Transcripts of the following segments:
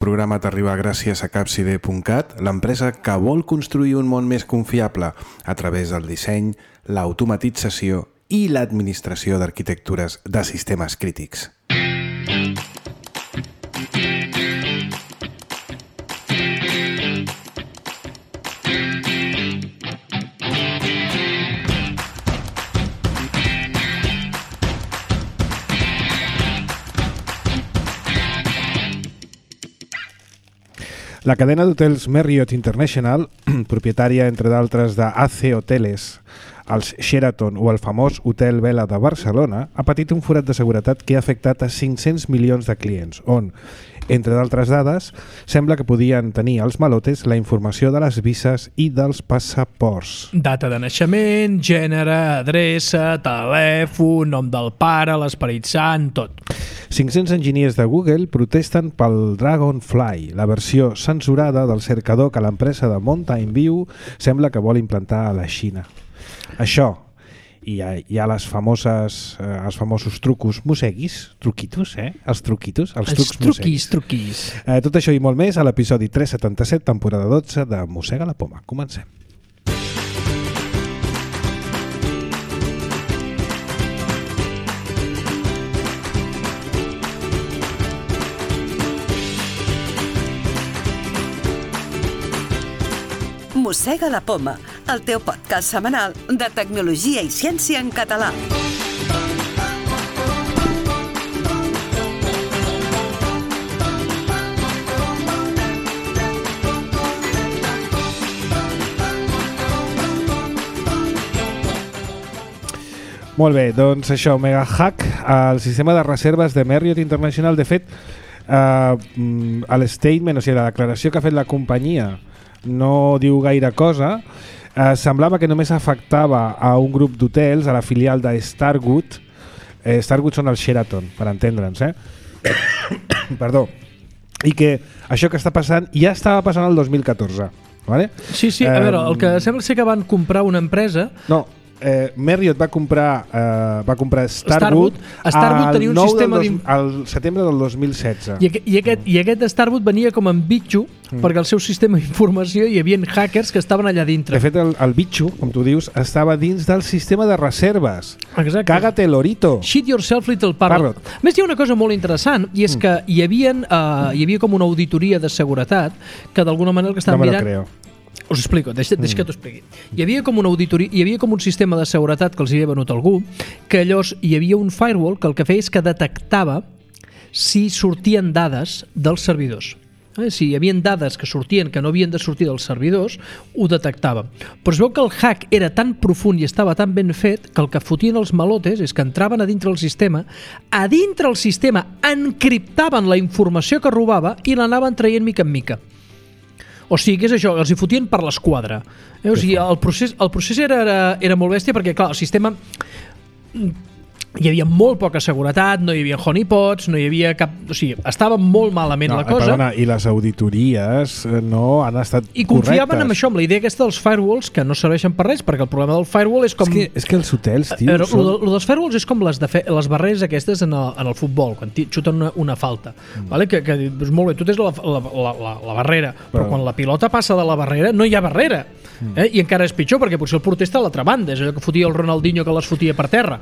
El programa t'arriba gràcies a Capcide.cat, l'empresa que vol construir un món més confiable a través del disseny, l'automatització i l'administració d'arquitectures de sistemes crítics. La cadena d'hotels Marriott International, propietària, entre d'altres, de AC Hoteles, els Sheraton o el famós Hotel Vela de Barcelona, ha patit un forat de seguretat que ha afectat a 500 milions de clients, on, entre d'altres dades, sembla que podien tenir els malotes la informació de les vises i dels passaports. Data de naixement, gènere, adreça, telèfon, nom del pare, l'esperit sant, tot. 500 enginyers de Google protesten pel Dragonfly, la versió censurada del cercador que l'empresa de Mountain View sembla que vol implantar a la Xina. Això, i hi ha els famosos trucos moseguis, truquitos, els truquitos, els trucs truquis. Tot això i molt més a l'episodi 377, temporada 12 de Mossega la Poma. Comencem. Mossega la Poma, el teu podcast setmanal de tecnologia i ciència en català. Molt bé, doncs això, mega hack al sistema de reserves de Marriott International. De fet, el statement, o sigui, la declaració que ha fet la companyia no diu gaire cosa. Semblava que només afectava a un grup d'hotels, a la filial de Starwood. Starwood són els Sheraton, per entendre'ns, Perdó. I que això que està passant ja estava passant el 2014, vale? Sí, a veure, el que sembla ser que van comprar una empresa... No, Marriott va comprar Starwood tenia un sistema al setembre del 2016. I aquest Starwood venia com en bitxo perquè al seu sistema d'informació hi havia hackers que estaven allà dintre. De fet, el bitxo, com tu dius, estava dins del sistema de reserves. Exacte. Cágate, lorito. Shit yourself, little parrot. A més, hi ha una cosa molt interessant, i és que hi havia com una auditoria de seguretat que d'alguna manera que estaven mirant... No me lo creo. Us explico, deixa que t'ho expliqui. Hi havia com una auditoria, hi havia com un sistema de seguretat que els havia venut algú, que llavors hi havia un firewall que el que feia és que detectava si sortien dades dels servidors. Si hi havia dades que sortien que no havien de sortir dels servidors, ho detectava. Però es veu que el hack era tan profund i estava tan ben fet que el que fotien els malotes és que entraven a dintre el sistema encriptaven la informació que robava i l'anaven traient mica en mica. O sigui, que és això, els hi fotien per l'esquadra. O sigui, el procés era molt bèstia perquè, clar, el sistema... Hi havia molt poca seguretat, no hi havia honeypots, no hi havia cap... O sigui, estava molt malament la cosa. Perdona, i les auditories no han estat correctes. I confiaven en això, amb la idea aquesta dels firewalls, que no serveixen per res, perquè el problema del firewall és com... És que els hotels, tio... Lo dels firewalls és com les barreres aquestes en el futbol, quan xuten una falta. Vale? Que és molt bé, tu tens la barrera, però quan la pilota passa de la barrera, no hi ha barrera. I encara és pitjor, perquè potser el porter està a l'altra banda, és allò que fotia el Ronaldinho que les fotia per terra.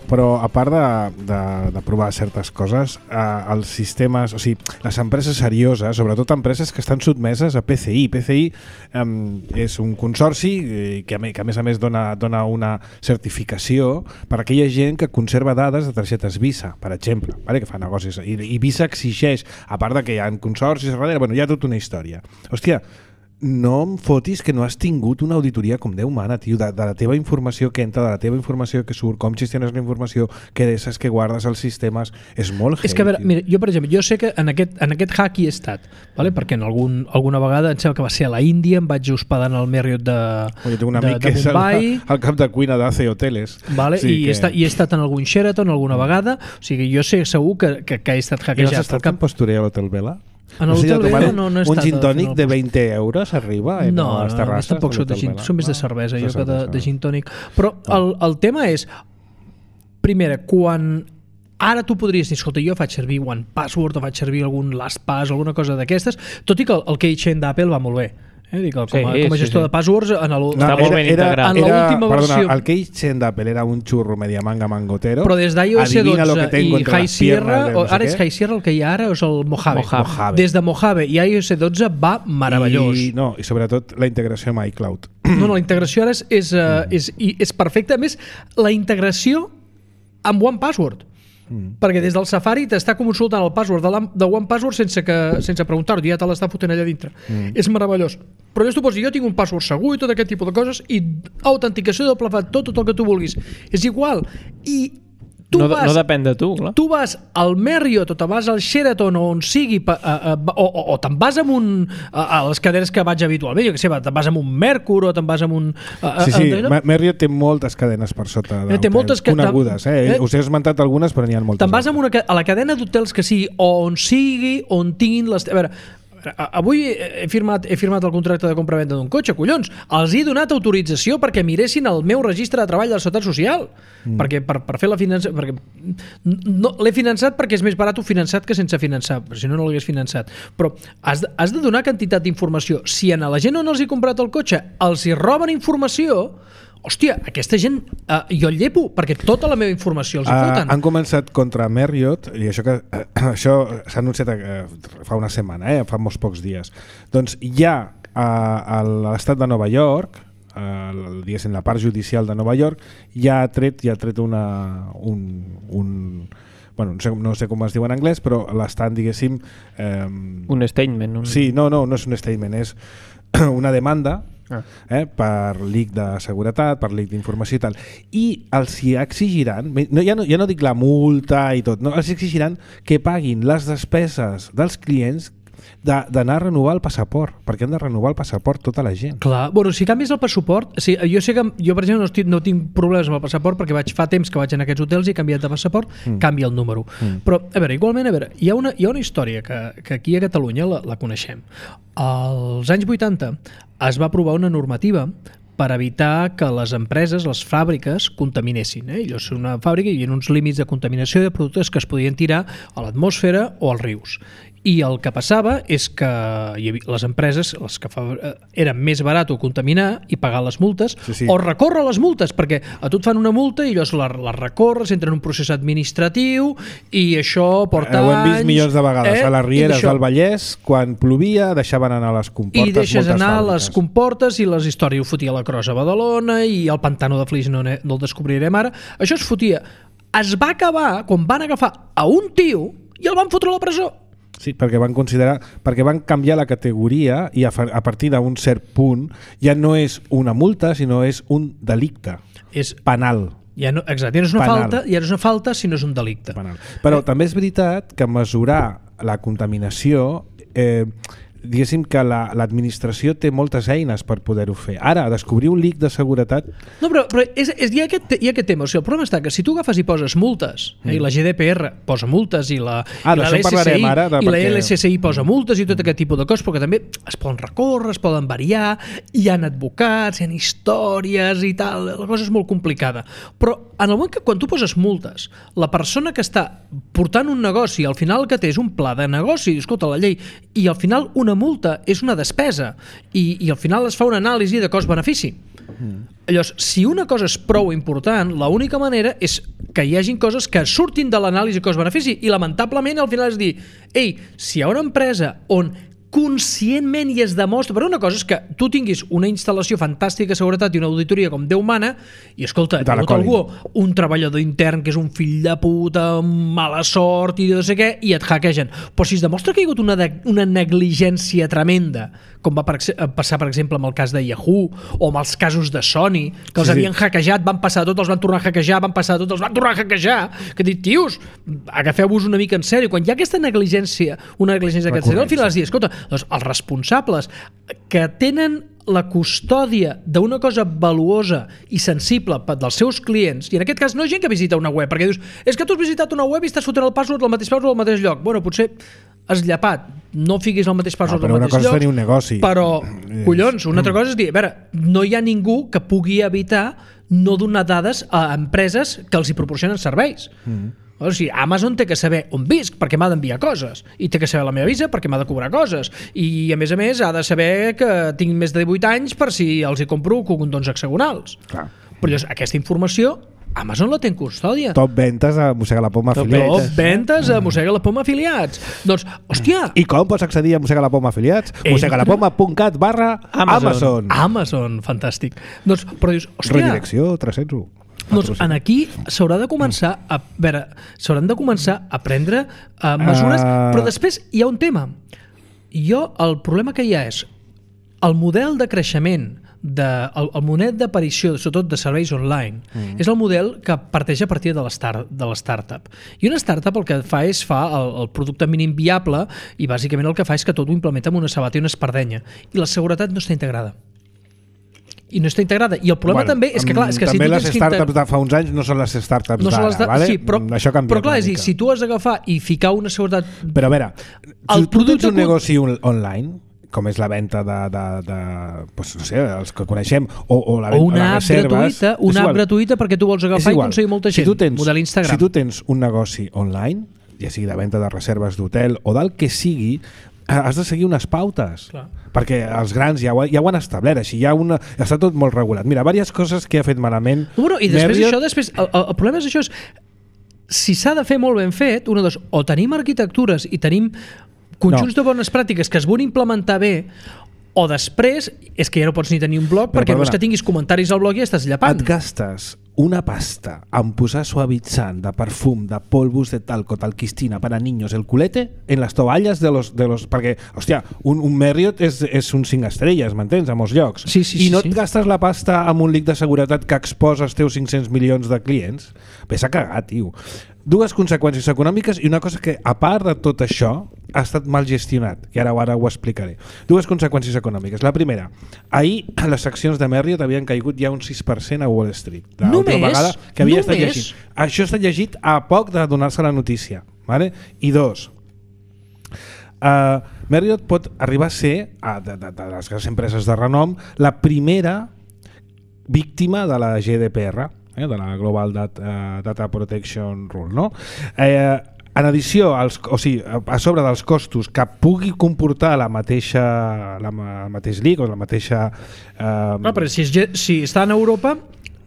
Però a part de provar certes coses, els sistemes, o sigui, les empreses serioses, sobretot empreses que estan sotmeses a PCI. PCI és un consorci que a més dona una certificació per a aquella gent que conserva dades de targetes Visa, per exemple, vale? Que fa negocis. I Visa exigeix, a part de que hi ha consorcis darrere, hi ha tota una història. Hòstia, no em fotis que no has tingut una auditoria com Déu mana, tio, de la teva informació que entra, de la teva informació que surt, com gestiones la informació, què deixes que guardes als sistemes, és molt heavy. És que, a veure, mira, jo, per exemple, jo sé que en aquest hack hi he estat, vale? Perquè alguna vegada, em sembla que va ser a la Índia, em vaig hospedar en el Marriott de Mumbai. El cap de cuina d'AC Hoteles. Vale? Sí, i he estat en algun Sheraton alguna vegada, o sigui, jo sé segur que he estat hackejat. I has estat en Postureo a l'Hotel Vela? En l'Hotel Vela no he estat. Un gin tònic de 20 euros arriba a les terrasses? No, tampoc soc de gin, són més de cervesa jo que de gin tònic. Però el tema és, primera, quan Ara tu podries dir, escolta, jo faig servir OnePassword o faig servir algun LastPass o alguna cosa d'aquestes, tot i que el keychain d'Apple va molt bé. Dic, com a gestor de passwords està molt ben integrat. En l'última versió. El keychain d'Apple era un xurro media manga mangotero. Però des d'iOS 12 i High Sierra, ara és High Sierra el que hi ha ara, o és el Mojave. Des de Mojave i iOS 12 va meravellós. I sobretot la integració amb iCloud. No, la integració ara és perfecta. A més, la integració amb OnePassword. Perquè des del Safari t'està consultant el password de OnePassword sense preguntar-ho, ja te l'està fotent allà dintre. És meravellós. Però llavors tu pots dir, jo tinc un password segur i tot aquest tipus de coses, i autenticació doble factor, tot el que tu vulguis. És igual. I no depèn de tu, clar. Tu vas al Marriott o te vas al Sheraton o on sigui o te'n vas a les cadenes que vaig habitualment, jo què sé, te'n vas amb un Mercur o te'n vas amb un... Marriott té moltes cadenes per sota d'hotels, conegudes. Us he esmentat algunes, però n'hi ha moltes. Te'n vas a la cadena d'hotels que sigui, on sigui, on tinguin les... A veure, avui he firmat el contracte de compra-venda d'un cotxe, collons, els he donat autorització perquè miressin el meu registre de treball de la Seguretat Social, perquè per fer la finança, perquè no, l'he finançat perquè és més barat finançat que sense finançar, però si no l'hagués finançat. Però has de donar quantitat d'informació. Si a la gent on els he comprat el cotxe els hi roben informació, hòstia, aquesta gent jo el llepo, perquè tota la meva informació els hi foten. Han començat contra Marriott, i això s'ha anunciat fa una setmana, fa molts pocs dies. Doncs ja a l'estat de Nova York, diguéssim, la part judicial de Nova York, ja ha tret no sé com es diu en anglès, però l'estan, diguéssim... Un statement. Sí, no és un statement, és una demanda per leak de seguretat, per leak d'informació i tal. I els hi exigiran, ja no dic la multa i tot, no, els exigiran que paguin les despeses dels clients d'anar a renovar el passaport, perquè han de renovar el passaport tota la gent. Clar, bueno, si canvies el passaport, jo sé que jo, per exemple, no tinc problemes amb el passaport perquè fa temps que vaig en aquests hotels i he canviat de passaport, canvia el número. Però, a veure, igualment, hi ha una història que aquí a Catalunya la coneixem. Als anys 80 es va aprovar una normativa per evitar que les empreses, les fàbriques, contaminessin. Llavors, una fàbrica hi havia uns límits de contaminació de productes que es podien tirar a l'atmosfera o als rius. I el que passava és que les empreses, les que era més barat contaminar i pagar les multes, o recórrer les multes, perquè a tu et fan una multa i llavors les recorres, entra en un procés administratiu i això porta anys... Ho hem vist milions de vegades a les rieres del Vallès, quan plovia deixaven anar les comportes. I deixes anar les comportes i les històries ho fotia la Crossa a Badalona i el pantano de Flix no el descobrirem ara. Això es fotia. Es va acabar quan van agafar a un tio i el van fotre a la presó. Sí, perquè van canviar la categoria i a partir d'un cert punt ja no és una multa, sinó és un delicte. És penal. Exacte, ja no és una falta, ja no és una falta, sinó és un delicte. Penal. Però també és veritat que mesurar la contaminació... diguéssim que l'administració té moltes eines per poder-ho fer. Ara, descobrir un leak de seguretat... No, però hi ha aquest tema. O sigui, el problema està que si tu agafes i poses multes, i la GDPR posa multes, i la LSCI posa multes i tot aquest tipus de coses, però que també es poden recórrer, es poden variar, hi ha advocats, hi ha històries i tal, la cosa és molt complicada. Però en el moment que quan tu poses multes, la persona que està portant un negoci, al final el que té és un pla de negoci, escolta, la llei, i al final una multa és una despesa i al final es fa una anàlisi de cost-benefici. Llavors, si una cosa és prou important, l'única manera és que hi hagin coses que surtin de l'anàlisi cost-benefici i lamentablement al final és dir, si hi ha una empresa on conscientment i es demostra, però una cosa és que tu tinguis una instal·lació fantàstica de seguretat i una auditoria com Déu mana i escolta, hi ha hagut algú, un treballador intern que és un fill de puta, mala sort i no sé què, i et hackegen. Però si es demostra que hi ha hagut una negligència tremenda, com va passar per exemple amb el cas de Yahoo o amb els casos de Sony, que els havien hackejat, van passar tot, els van tornar a hackejar, van passar tot, els van tornar a hackejar, que dic, tios, agafeu-vos una mica en sèrio. Quan hi ha aquesta negligència, una negligència d'aquest al final es diu, escolta, doncs els responsables que tenen la custòdia d'una cosa valuosa i sensible dels seus clients, i en aquest cas no és gent que visita una web, perquè dius, és que tu has visitat una web i estàs fotent el password, el mateix password al mateix lloc. Bueno, potser has llapat, no fiquis el mateix password al mateix lloc. Però una cosa és tenir un negoci. Però, collons, una altra cosa és dir, a veure, no hi ha ningú que pugui evitar no donar dades a empreses que els hi proporcionen serveis. O sigui, Amazon té que saber on visc perquè m'ha d'enviar coses, i té que saber la meva visa perquè m'ha de cobrar coses, i a més ha de saber que tinc més de 18 anys per si els hi compro condons hexagonals. Clar. Però llavors, aquesta informació Amazon la té en custòdia. Top ventes a Mossega la Poma afiliats. Top ventes a Mossega la Poma afiliats. Doncs, hòstia... I com pots accedir a Mossega la Poma afiliats? mossegalapoma.cat/Amazon. Amazon, fantàstic. Doncs, però dius, hòstia... Redirecció 301. Doncs en aquí s'haurà de començar a veure, s'hauran de començar a prendre mesures, però després hi ha un tema. El problema que hi ha és el model de creixement el model d'aparició, sobretot de serveis online, és el model que parteix a partir de l'startup. I una startup el que fa és el producte mínim viable i bàsicament el que fa és que tot ho implementa amb una sabata i una espardenya. I la seguretat no està integrada. I no està integrada. I el problema també és que, clar... És que també si les startups de fa uns anys no són les startups d'ara, ¿vale? Sí, això canvia. Però clar, és dir, si tu has d'agafar i ficar una seguretat... Però a veure, tu tens un negoci online, com és la venda pues, no sé, els que coneixem, o la venda de reserves... Una app gratuïta perquè tu vols agafar i aconseguir molta gent. Model Instagram. Si tu tens un negoci online, ja sigui de venda de reserves d'hotel o del que sigui, has de seguir unes pautes. Clar. Perquè els grans ja ho han establert, així està tot molt regulat. Mira, diverses coses que ha fet malament... Bueno, i després el problema és això, si s'ha de fer molt ben fet, o tenim arquitectures i tenim conjunts de bones pràctiques que es volen implementar bé, o després és que ja no pots ni tenir un blog perquè no és que tinguis comentaris al blog i ja estàs llapant. Et gastes una pasta en posar suavitzant de perfum, de polvos de talco, talquistina para niños, el culete en les tovalles de los perquè, hòstia, un Marriott és un 5 estrelles, m'entens, a molts llocs. Sí, I no et gastes la pasta amb un lic de seguretat que exposa els teus 500 milions de clients? Ves a cagar, tio. Dues conseqüències econòmiques i una cosa que, a part de tot això, ha estat mal gestionat, que ara ho explicaré. Dues conseqüències econòmiques. La primera, ahir les accions de Marriott havien caigut ja un 6% a Wall Street. Només? Que havia estat llegit. Això ha estat llegit a poc de donar-se la notícia. Vale? I dos, Marriott pot arribar a ser, de les grans empreses de renom, la primera víctima de la GDPR, de la Global Data Protection Rule, no? En addició, a sobre dels costos que pugui comportar el mateix leak o la mateixa... però si està en Europa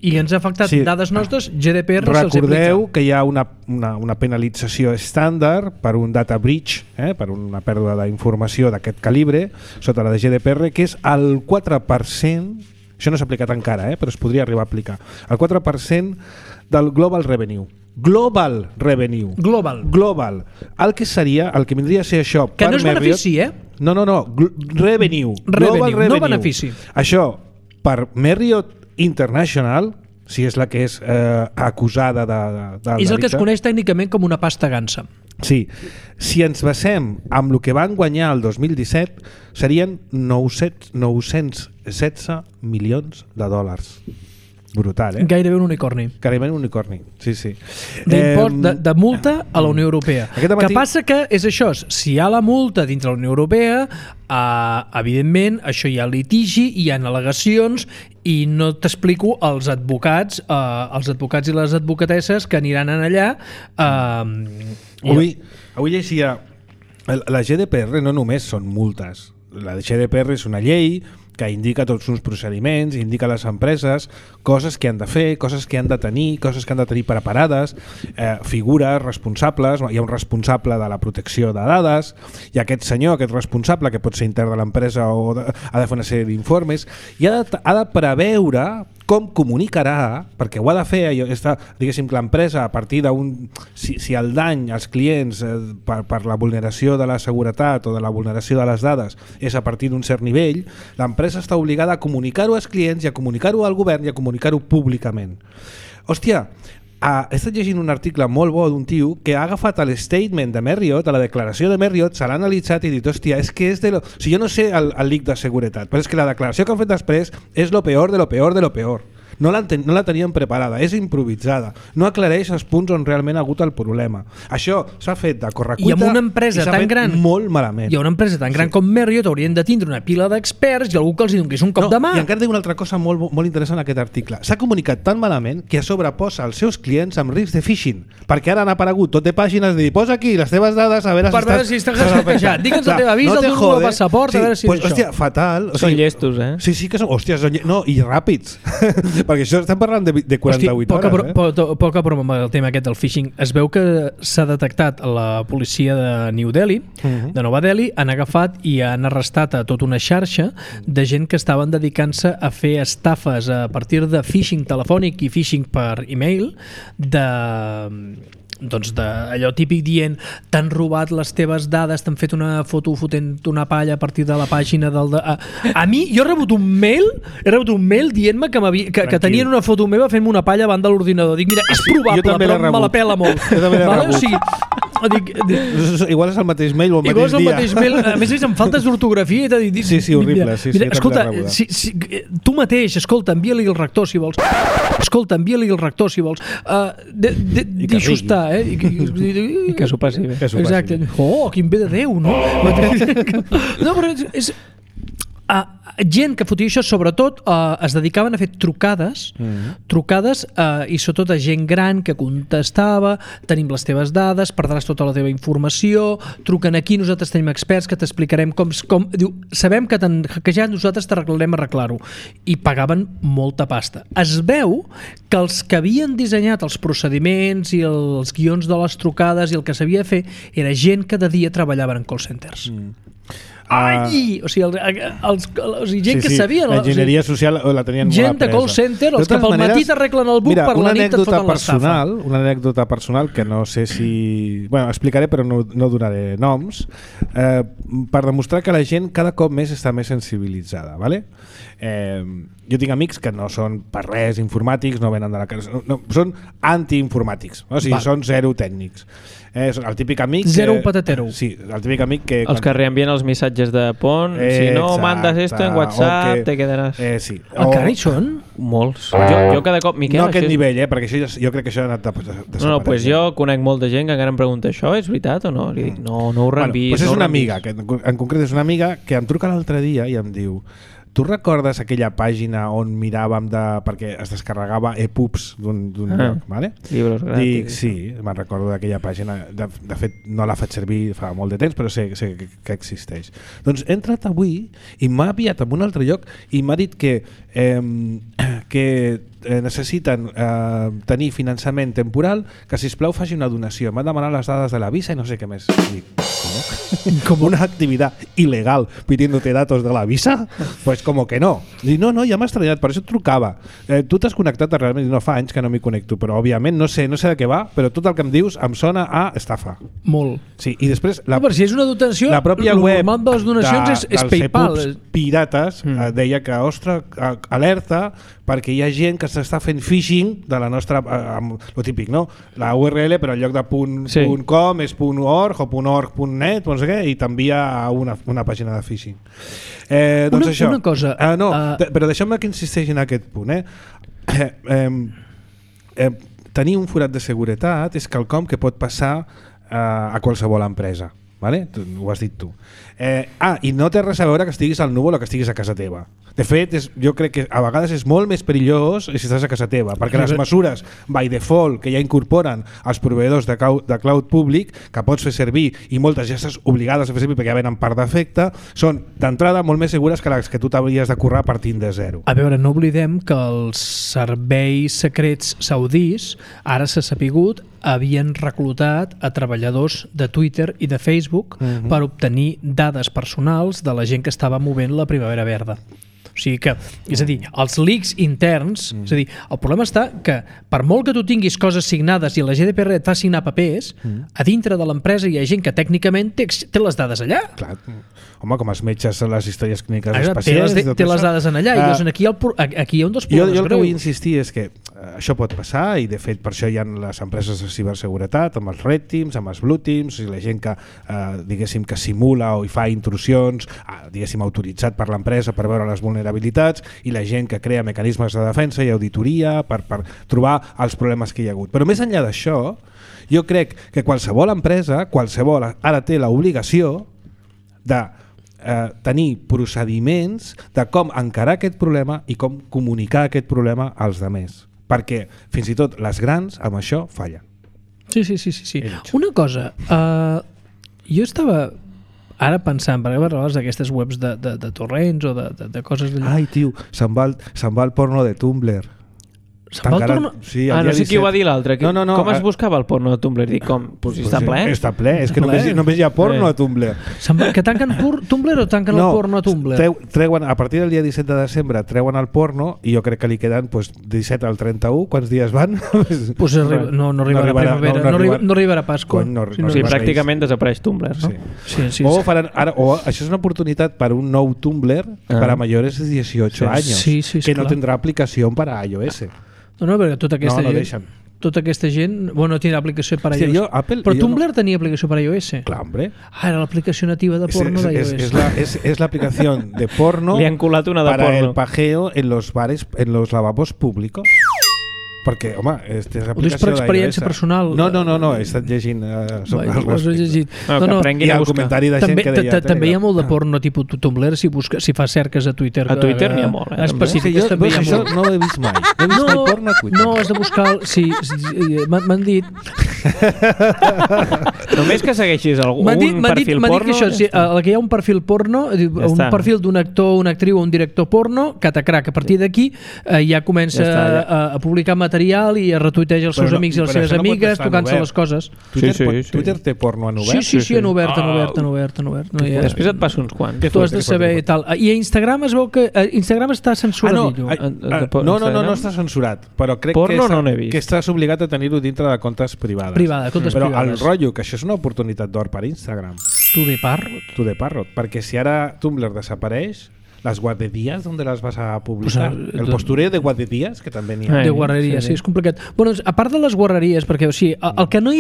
i ens ha afectat dades nostres, GDPR se'ls aplica. Recordeu que hi ha una penalització estàndard per un data breach, per una pèrdua d'informació d'aquest calibre, sota la de GDPR, que és el 4%. Això no s'ha aplicat encara, però es podria arribar a aplicar. El 4% del Global Revenue. Global. El que vindria a ser això que per Marriott... Que no és benefici, No. Revenue. Global Revenue. No benefici. Això, per Marriott International, si és la que és acusada de és el que es coneix tècnicament com una pasta gansa. Sí. Si ens basem amb el que van guanyar el 2017, serien 916 milions de dòlars. Brutal, Gairebé un unicorni. Sí. D'impost de multa a la Unió Europea. Que passa que és això, si hi ha la multa dintre la Unió Europea, evidentment això hi ha litigi, hi ha al·legacions i no t'explico els advocats i les advocatesses que aniran allà. Avui llegia, la GDPR no només són multes, la GDPR és una llei que indica tots uns procediments, indica a les empreses coses que han de fer, coses que han de tenir, coses que han de tenir preparades, figures responsables, hi ha un responsable de la protecció de dades, i aquest senyor, aquest responsable, que pot ser intern de l'empresa o ha de fer una sèrie d'informes, i ha de preveure com comunicarà, perquè ho ha de fer, diguéssim, l'empresa a partir d'un... Si el dany als clients per la vulneració de la seguretat o de la vulneració de les dades és a partir d'un cert nivell, l'empresa està obligada a comunicar-ho als clients i a comunicar-ho al govern i a comunicar-ho públicament. Hòstia, he estat llegint un article molt bo d'un tio que ha agafat el statement de Marriott, a la declaració de Marriott, se l'ha analitzat i dit, hòstia, és que és de lo... O sigui, jo no sé el leak de seguretat, però és que la declaració que han fet després és lo peor de lo peor de lo peor. No la tenien preparada, és improvisada. No aclareix els punts on realment ha hagut el problema. Això s'ha fet de correcuita i amb una empresa tan gran, molt malament. I una empresa tan gran com Marriott haurien de tindre una pila d'experts i algú que els donés un cop de mà. I encara diu una altra cosa molt interessant en aquest article. S'ha comunicat tan malament que a sobre posa els seus clients amb risc de phishing, perquè ara han aparegut tot de pàgines de dir, posa aquí les teves dades a veure si estàs hackejat. Digue'ns la teva visa, el teu passaport, a veure si és això. Hòstia, fatal. Són llestos, eh? Sí, que són... Hòstia, no, i ràpids. Perquè això estem parlant de 48 hores. Poca broma amb el tema aquest del phishing. Es veu que s'ha detectat a la policia de New Delhi, de Nova Delhi, han agafat i han arrestat a tota una xarxa de gent que estaven dedicant-se a fer estafes a partir de phishing telefònic i phishing per e-mail doncs d'allò típic dient t'han robat les teves dades, t'han fet una foto fotent una palla a partir de la pàgina del... A mi, jo he rebut un mail dient-me que tenien una foto meva fent-me una palla davant de l'ordinador. Dic, mira, és probable, però me la pela molt. Jo també l'he rebut. O sigui, igual és el mateix mail o el mateix dia. Mateix mail. A més, amb faltes d'ortografia i t'ha dit... Sí, horrible. Mira, escolta, tu mateix, escolta, envia-li el rector si vols. Deixo estar, I que s'ho passi bé. Exacte. Oh, quin bé de Déu, no? No, però és... gent que fotia això, sobretot es dedicaven a fer trucades i sobretot a gent gran que contestava, tenim les teves dades, perdràs tota la teva informació, truquen aquí, nosaltres tenim experts que t'explicarem com diu, sabem que t'han hackejat, nosaltres t'arreglarem arreglar-ho, i pagaven molta pasta. Es veu que els que havien dissenyat els procediments i els guions de les trucades i el que s'havia de fer era gent que de dia treballaven en call centers. O sigui, gent que sabia... L'enginyeria social la tenien molt apresa. Gent de call center, els que pel matí t'arreglen el buc, per la nit et foten l'estafa. Una anècdota personal que no sé si... Bueno, explicaré però no donaré noms, per demostrar que la gent cada cop més està més sensibilitzada, ¿vale? Jo tinc amics que no són per res informàtics, no venen de la casa, no, són antiinformàtics, o sigui, són zero tècnics. El típic amic... Zero patatero. Sí, el típic amic que... Els que reenvien els missatges de pont, si no mandes esto en WhatsApp, te quedaràs... Sí. Encara hi són? Molts. Jo cada cop... Miquel, no a aquest nivell, perquè això, jo crec que això ha anat desapareixent. No, pues jo conec molta gent que encara em pregunta això és veritat o no? Li dic, no ho reenvis. Pues és una amiga, que en concret és una amiga que em truca l'altre dia i em diu: tu recordes aquella pàgina on miràvem perquè es descarregava EPUBs d'un lloc, ¿vale? Llibres gratis. Dic, sí, me'n recordo d'aquella pàgina. De fet, no la faig servir fa molt de temps, però sé que existeix. Doncs he entrat avui i m'ha enviat a un altre lloc i m'ha dit que necessiten tenir finançament temporal, que sisplau faci una donació. M'han demanat les dades de la visa i no sé què més. Dic, ¿cómo? ¿Una actividad ilegal pidiéndote datos de la visa? Pues como que no. Dic, no, ja m'ha estranyat, per això et trucava. Tu t'has connectat realment, no fa anys que no m'hi connecto, però òbviament no sé de què va, però tot el que em dius em sona a estafa. Molt. Sí, i després però si és una dotació, la pròpia web de les donacions és PayPal. dels pirates deia que, ostres, alerta, perquè hi ha gent que s'està fent phishing de la nostra, lo típic, no? La URL, però en lloc de .com és .org o .org.net, no sé què, i t'envia a una pàgina de phishing. Doncs això. Una cosa... Però deixeu-me que insisteixi en aquest punt. Tenir un forat de seguretat és quelcom que pot passar a qualsevol empresa. Vale? Ho has dit tu. I no té res a veure que estiguis al núvol o que estiguis a casa teva. De fet, jo crec que a vegades és molt més perillós si estàs a casa teva, perquè les mesures by default que ja incorporen els proveïdors de cloud públic, que pots fer servir i moltes ja estàs obligades a fer servir perquè ja venen per defecte, són d'entrada molt més segures que les que tu t'hauries de currar partint de zero. A veure, no oblidem que els serveis secrets saudís, ara s'ha sapigut, havien reclutat a treballadors de Twitter i de Facebook per obtenir dades personals de la gent que estava movent la Primavera Verda. O sigui que, és a dir, els leaks interns, és a dir, el problema està que per molt que tu tinguis coses signades i la GDPR et fa signar papers, a dintre de l'empresa hi ha gent que tècnicament té les dades allà. Clar. com els metges a les històries clíniques dels pacients. Té les dades en allà, i llavors aquí hi ha un dels problemes greus. Jo el que vull insistir és que això pot passar, i de fet per això hi ha les empreses de ciberseguretat, amb els red teams, amb els blue teams, i la gent que, diguéssim, que simula o hi fa intrusions, diguéssim, autoritzat per l'empresa per veure les vulnerabilitats, i la gent que crea mecanismes de defensa i auditoria per trobar els problemes que hi ha hagut. Però més enllà d'això, jo crec que qualsevol empresa, ara té l'obligació de tenir procediments de com encarar aquest problema i com comunicar aquest problema als demés. Perquè fins i tot les grans amb això fallen. Sí. Una cosa, jo estava ara pensant, perquè parlaves d'aquestes webs de torrents o de coses d'allò. Ai, tio, se'n va el porno de Tumblr. Se'n va el porno? Sí, no sé qui ho va dir l'altre. No, com es buscava el porno de Tumblr? Dic, com? Està ple? Està ple, és que només hi ha porno a Tumblr. Que tanquen Tumblr o tanquen el porno a Tumblr? Treuen, a partir del dia 17 de desembre treuen el porno, i jo crec que li queden 17 al 31, quants dies van? No arribarà a primavera, no arribarà a Pasqua. Sí, pràcticament desapareix Tumblr, no? Sí. O això és una oportunitat per un nou Tumblr para mayores de 18 anys, que no tindrà aplicació per a iOS. No, perquè tota aquesta gent no tindrà aplicació per a iOS. Però Tumblr tenia aplicació per a iOS. Clar, hombre. Era l'aplicació nativa de porno d'iOS. Es la aplicación de porno para el pajeo en los bares, en los lavabos públicos. Perquè, home, és l'aplicació per experiència personal. No, he estat llegint sobre el respecte. Que aprenguin a buscar. Comentari de gent que deia... També hi ha molt de porno tipus Tumblr, si fas cerques a Twitter. A Twitter n'hi ha molt, específiques també hi ha molt. Això no ho he vist mai. No he vist mai porno a Twitter. No, has de buscar... Sí, m'han dit... Només que segueixis un perfil porno... M'han dit que hi ha un perfil porno, un perfil d'un actor, una actriu o un director porno, catacrac. A partir d'aquí ja comença a publicar material i a retuitejar els seus amics i les seves amigues tocant-se les coses. Twitter té porno en obert? Sí, en obert. Després et passo uns quants. Tu has de saber i tal. I a Instagram es veu que Instagram està censurat. No està censurat, però crec que estàs obligat a tenir-ho dintre de comptes privades. Però el rotllo, que això és una oportunitat d'or per Instagram. Tu de Parrot. Perquè si ara Tumblr desapareix, las guarderías, ¿dónde las vas a publicar? El postureo de guarderías, que també n'hi ha. De guarreries, sí, és complicat. Bueno, a part de les guarreries, perquè el que no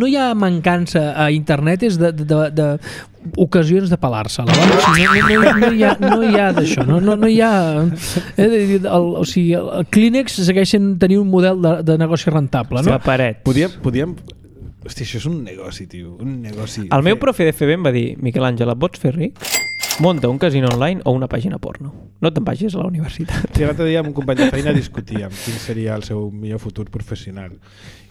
hi ha mancança a internet és de ocasions de pelar-se. No hi ha d'això. No hi ha... O sigui, el Kleenex segueixen tenint un model de negoci rentable, no? La paret. Podíem... Hosti, això és un negoci, tio. Un negoci. El meu profe de FB em va dir: Miquel Àngel, et vols fer ric? Munta un casino online o una pàgina porno. No te'n vagis a la universitat. Sí, l'altre dia amb un company de feina discutíem quin seria el seu millor futur professional.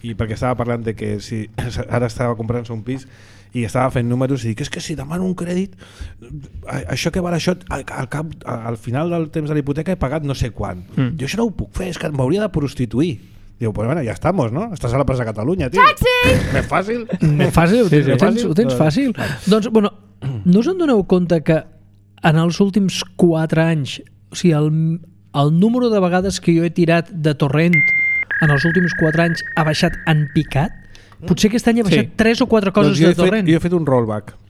I perquè estava parlant de que si ara estava comprant-se un pis i estava fent números i dic, és que si demano un crèdit, això que val això, al final del temps de la hipoteca he pagat no sé quant. Jo això no ho puc fer, és que m'hauria de prostituir. Diu, pues bueno, ja estamos, ¿no? Estàs a la plaça Catalunya, tio. Taxi! Més fàcil? Ho tens fàcil. Doncs, bueno, no us en doneu compte que en els últims 4 anys, o sigui, el número de vegades que jo he tirat de torrent en els últims 4 anys ha baixat en picat? Potser aquest any ha baixat 3 o 4 coses de torrent. Jo he fet un rollback.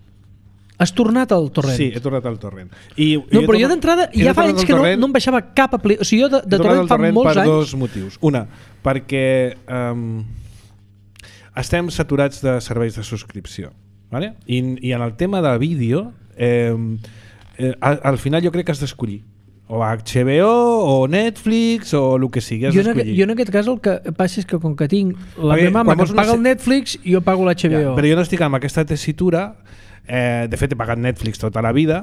Has tornat al torrent? Sí, he tornat al torrent. Però jo d'entrada ja fa anys que no em baixava cap aplicació. O sigui, jo de torrent fa molts anys... Per dos motius. Una, perquè estem saturats de serveis de subscripció. ¿Vale? I en el tema de vídeo, al final jo crec que has d'escollir. O HBO, o Netflix, o el que sigui, has d'escollir. Jo en aquest cas el que passa és que com que tinc la meva mama que paga el Netflix, jo pago l'HBO. Però jo no estic amb aquesta tessitura. De fet he pagat Netflix tota la vida.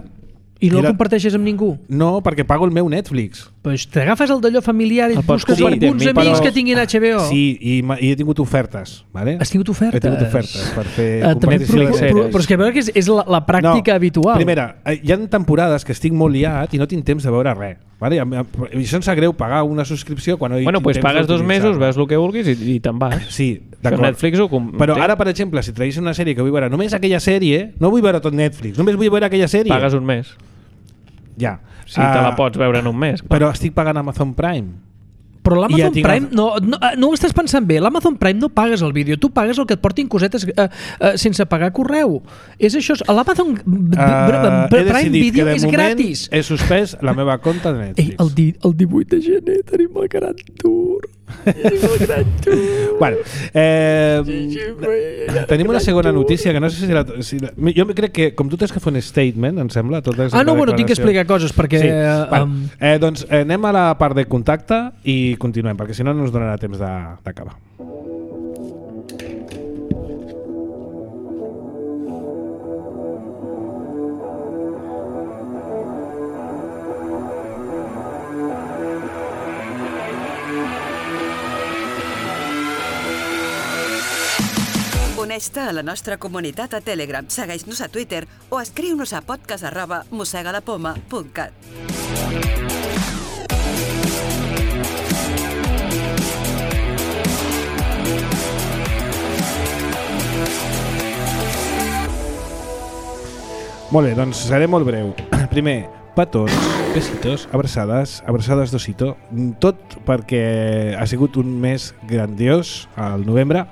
I no el comparteixes amb ningú? No, perquè pago el meu Netflix. Pues t'agafes el d'allò familiar i et busques per alguns amics que tinguin HBO. Sí, i he tingut ofertes. ¿Vale? Has tingut ofertes? He tingut ofertes per fer però és que veure que és la pràctica habitual. Primera, hi ha temporades que estic molt liat i no tinc temps de veure res. Vale? I això em sap greu pagar una subscripció quan no hi tinc temps d'utilitzar. Pagues 2 mesos, veus el que vulguis i te'n vas. Sí, d'acord. Netflix però ara, per exemple, si tragués una sèrie que vull veure només aquella sèrie, no vull veure tot Netflix, només vull veure aquella sèrie. Pagues un mes. Ja. Sí, te la pots veure en un mes. Però estic pagant Amazon Prime. Però l'Amazon Prime, no ho estàs pensant bé, l'Amazon Prime no pagues el vídeo, tu pagues el que et portin cosetes sense pagar correu. És això, l'Amazon Prime Video és gratis. He suspès la meva compte de Netflix. El 18 de gener tenim el Gran Tour. Bueno, tenim una segona notícia que no sé si jo crec que, com tu tens que fer un statement, em sembla, bueno, tinc que explicar coses perquè... Sí. Doncs anem a la part de contacte i continuem, perquè si no ens donarà temps d'acabar. Uneix-te a la nostra comunitat a Telegram, segueix-nos a Twitter o escriu-nos a podcast@mossegalapoma.cat. Molt bé, doncs seré molt breu. Primer, petons, besitos, abraçades d'osito. Tot perquè ha sigut un mes grandiós al novembre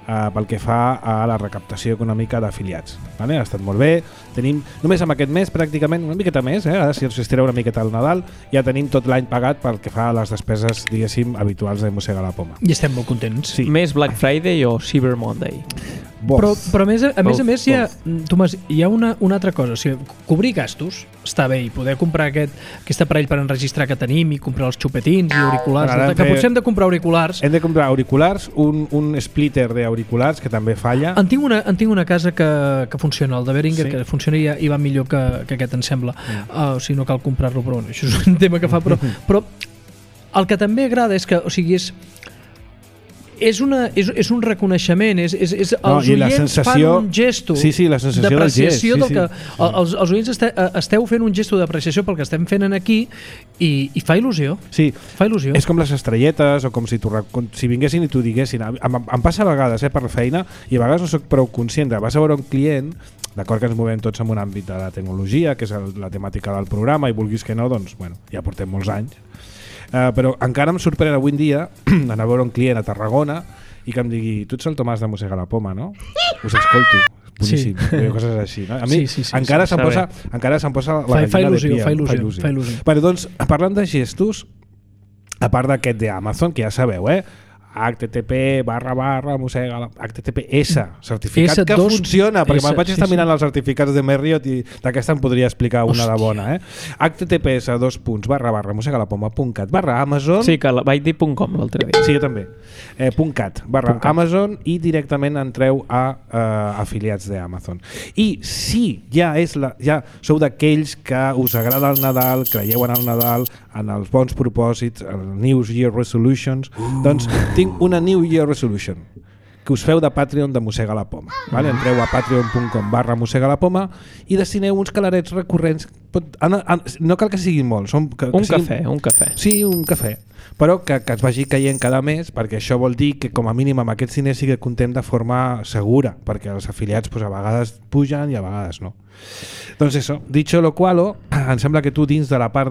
pel que fa a la recaptació econòmica d'afiliats. Vale? Ha estat molt bé. Tenim, només amb aquest mes, pràcticament una miqueta més, ara si ens estira una miqueta al Nadal, ja tenim tot l'any pagat pel que fa a les despeses, diguéssim, habituals de Mossega la Poma. I estem molt contents. Sí. Més Black Friday o Cyber Monday? Però a més hi ha, Tomàs, hi ha una altra cosa. O sigui, cobrir gastos està bé i poder comprar aquest aparell per enregistrar que tenim i comprar els xupetins i auriculars. Que potser hem de comprar auriculars. Hem de comprar auriculars, un splitter d'auriculars que també falla. En tinc una casa que funciona, el de Behringer, que funciona i va millor que aquest, em sembla. O sigui, no cal comprar-lo, però això és un tema que fa. Però el que també agrada és que, o sigui, és un reconeixement, els oients fan un gesto d'apreciació del que els oients esteu fent un gesto d'apreciació pel que estem fent aquí i fa il·lusió. Sí, fa il·lusió. És com les estrelletes o com si vinguessin i t'ho diguessin. Em passa a vegades per la feina i a vegades no soc prou conscient. Vas a veure un client, d'acord que ens movem tots en un àmbit de la tecnologia, que és la temàtica del programa, i vulguis que no, doncs bueno, ja portem molts anys. Però encara em sorprèn avui en dia anar a veure un client a Tarragona i que em digui, tu ets el Tomàs de Mossega la Poma, no? Us escolto. Boníssim. Coses així. No? A mi encara se'm posa la gallina de pia. Fa il·lusió. Però doncs, parlant de gestos, a part d'aquest d'Amazon, que ja sabeu, http://mossega https certificat que funciona, perquè me'n vaig estar mirant els certificats de Marriott i d'aquesta em podria explicar una de bona. https://mossegalapoma.cat/Amazon. Sí, que vaig dir .com l'altre dia. Sí, jo també. .cat/Amazon i directament entreu a afiliats d'Amazon. I si ja sou d'aquells que us agrada el Nadal, creieu en el Nadal, en els bons propòsits, el New Year Resolutions, doncs tinc una New Year Resolution que us feu de Patreon de Mossega la Poma. Vale? Entreu a patreon.com/Mossega la Poma i destineu uns calarets recurrents. No cal que siguin molts. Un cafè. Sí, un cafè. Però que es vagi caient cada mes, perquè això vol dir que com a mínim amb aquests diners sí que comptem de forma segura, perquè els afiliats a vegades pugen i a vegades no. Doncs això, dicho lo cual, em sembla que tu dins de la part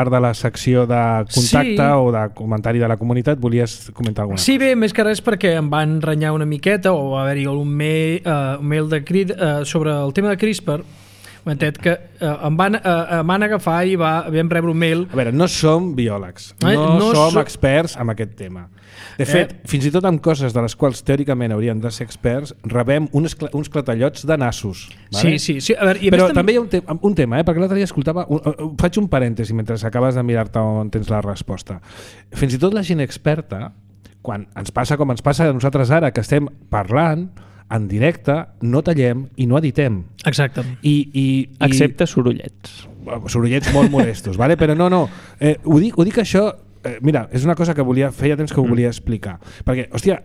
de la secció de contacte o de comentari de la comunitat volies comentar alguna cosa. Sí, bé, més que res perquè em van renyar una miqueta o va haver-hi un mail de crit sobre el tema de CRISPR, que em van agafar i vam rebre un mail. A veure, no som biòlegs, no som experts en aquest tema. De fet, fins i tot amb coses de les quals teòricament hauríem de ser experts, rebem uns clatallots de nassos. Vale? Sí. A veure, però també hi ha un tema, perquè l'altre dia escoltava, faig un parèntesi mentre acabes de mirar-te on tens la resposta. Fins i tot la gent experta, quan ens passa com ens passa a nosaltres ara, que estem parlant en directe, no tallem i no editem. Exacte. Excepte sorollets. Sorollets molt molestos, vale? Però no. Ho dic això. Mira, és una cosa que feia temps que ho volia explicar, perquè, hòstia,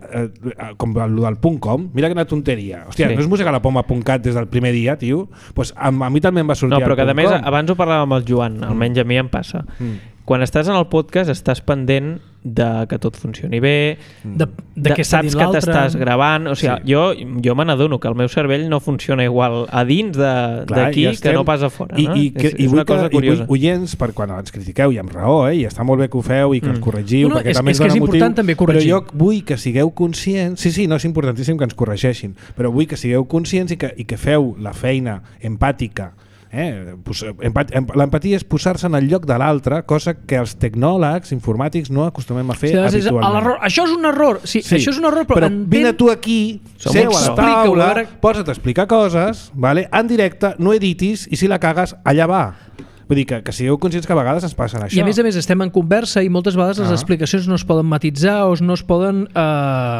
com el del .com, mira quina tonteria, hòstia, no és mossegalapoma.cat des del primer dia, tio, pues a mi també em va sortir no, però que a més, abans ho parlàvem amb el Joan, almenys a mi em passa, quan estàs en el podcast estàs pendent de que tot funcioni bé, de què està saps dient que l'altre. t'estàs gravant, o sigui, jo me n'adono que el meu cervell no funciona igual a dins d'aquí que no pas a fora. No? És una cosa curiosa. I oients, per quan ens critiqueu, i amb raó, i està molt bé que ho feu i que ens corregiu, perquè també ens dona motiu. És important també corregir. Però jo vull que sigueu conscients, sí, no, és importantíssim que ens corregeixin, però vull que sigueu conscients i que feu la feina empàtica. L'empatia és posar-se en el lloc de l'altre, cosa que els tecnòlegs informàtics no acostumem a fer habitualment. Això és un error, això és un error, però vine tu aquí, seu a la taula, posa't a explicar coses, en directe, no editis, i si la cagues, allà va. Vull dir que sigueu conscients que a vegades es passen això. I a més estem en conversa i moltes vegades les explicacions no es poden matitzar o no es poden...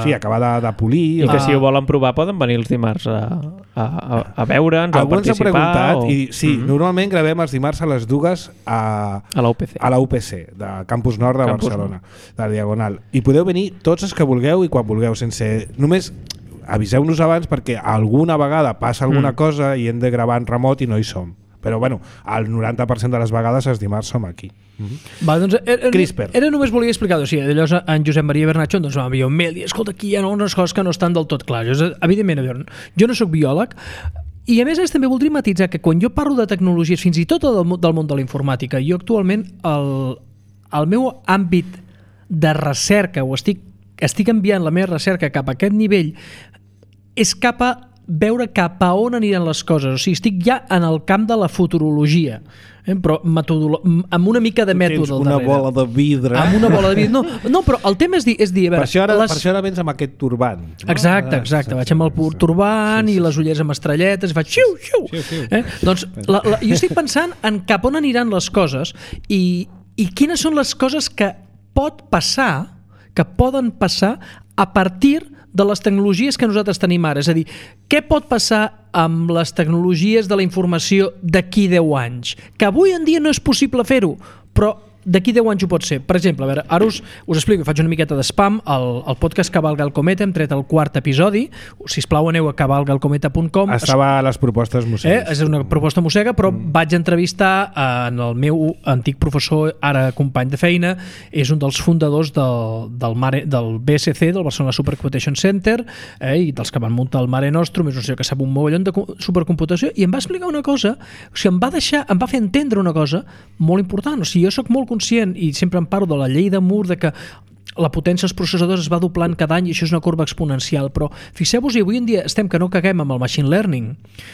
Sí, acabar de polir. I que si ho volen provar poden venir els dimarts a veure'ns o a participar. Alguns han preguntat, i sí, normalment gravem els dimarts a les 2 a la UPC, de Campus Nord de Barcelona, de la Diagonal. I podeu venir tots els que vulgueu i quan vulgueu, sense... Només aviseu-nos abans perquè alguna vegada passa alguna cosa i hem de gravar en remot i no hi som. Però bueno, el 90% de les vegades els dimarts som aquí. Va, doncs, CRISPR. Només volia explicar, o sigui, llavors en Josep Maria Bernatxo doncs m'envia un mail i escolta, aquí hi ha unes coses que no estan del tot clares. Evidentment, jo no sóc biòleg i a més també voldria matitzar que quan jo parlo de tecnologies, fins i tot del món de la informàtica, jo actualment el meu àmbit de recerca, o estic enviant la meva recerca cap a aquest nivell, és cap a veure cap a on aniran les coses. O sigui, estic ja en el camp de la futurologia, però amb una mica de mètode al darrere. Tens una bola de vidre. Amb una bola de vidre. No, però el tema és dir... Per això ara vens amb aquest turbant. Exacte. Vaig amb el turbant i les ulleres amb estrelletes i faig xiu. Doncs jo estic pensant en cap on aniran les coses i quines són les coses que poden passar a partir de les tecnologies que nosaltres tenim ara. És a dir, què pot passar amb les tecnologies de la informació d'aquí 10 anys? Que avui en dia no és possible fer-ho, però d'aquí 10 anys ho pot ser. Per exemple, a veure, ara us explico, faig una miqueta de spam, el podcast Cavalga el Cometa, hem tret el 4è episodi, sisplau aneu a cavalgalcometa.com. Estava a les propostes mossegues. És una proposta mossega, però vaig entrevistar en el meu antic professor, ara company de feina, és un dels fundadors del BSC, del Barcelona Supercomputation Center, i dels que van muntar el Mare Nostrum, és un senyor que sap un mogollon de supercomputació, i em va explicar una cosa, o sigui, em va fer entendre una cosa molt important. O sigui, jo soc molt conscient i sempre em parlo de la llei de Moore, de que la potència dels processadors es va doblant cada any i això és una corba exponencial, però fixeu-vos, avui en dia estem que no caguem amb el machine learning,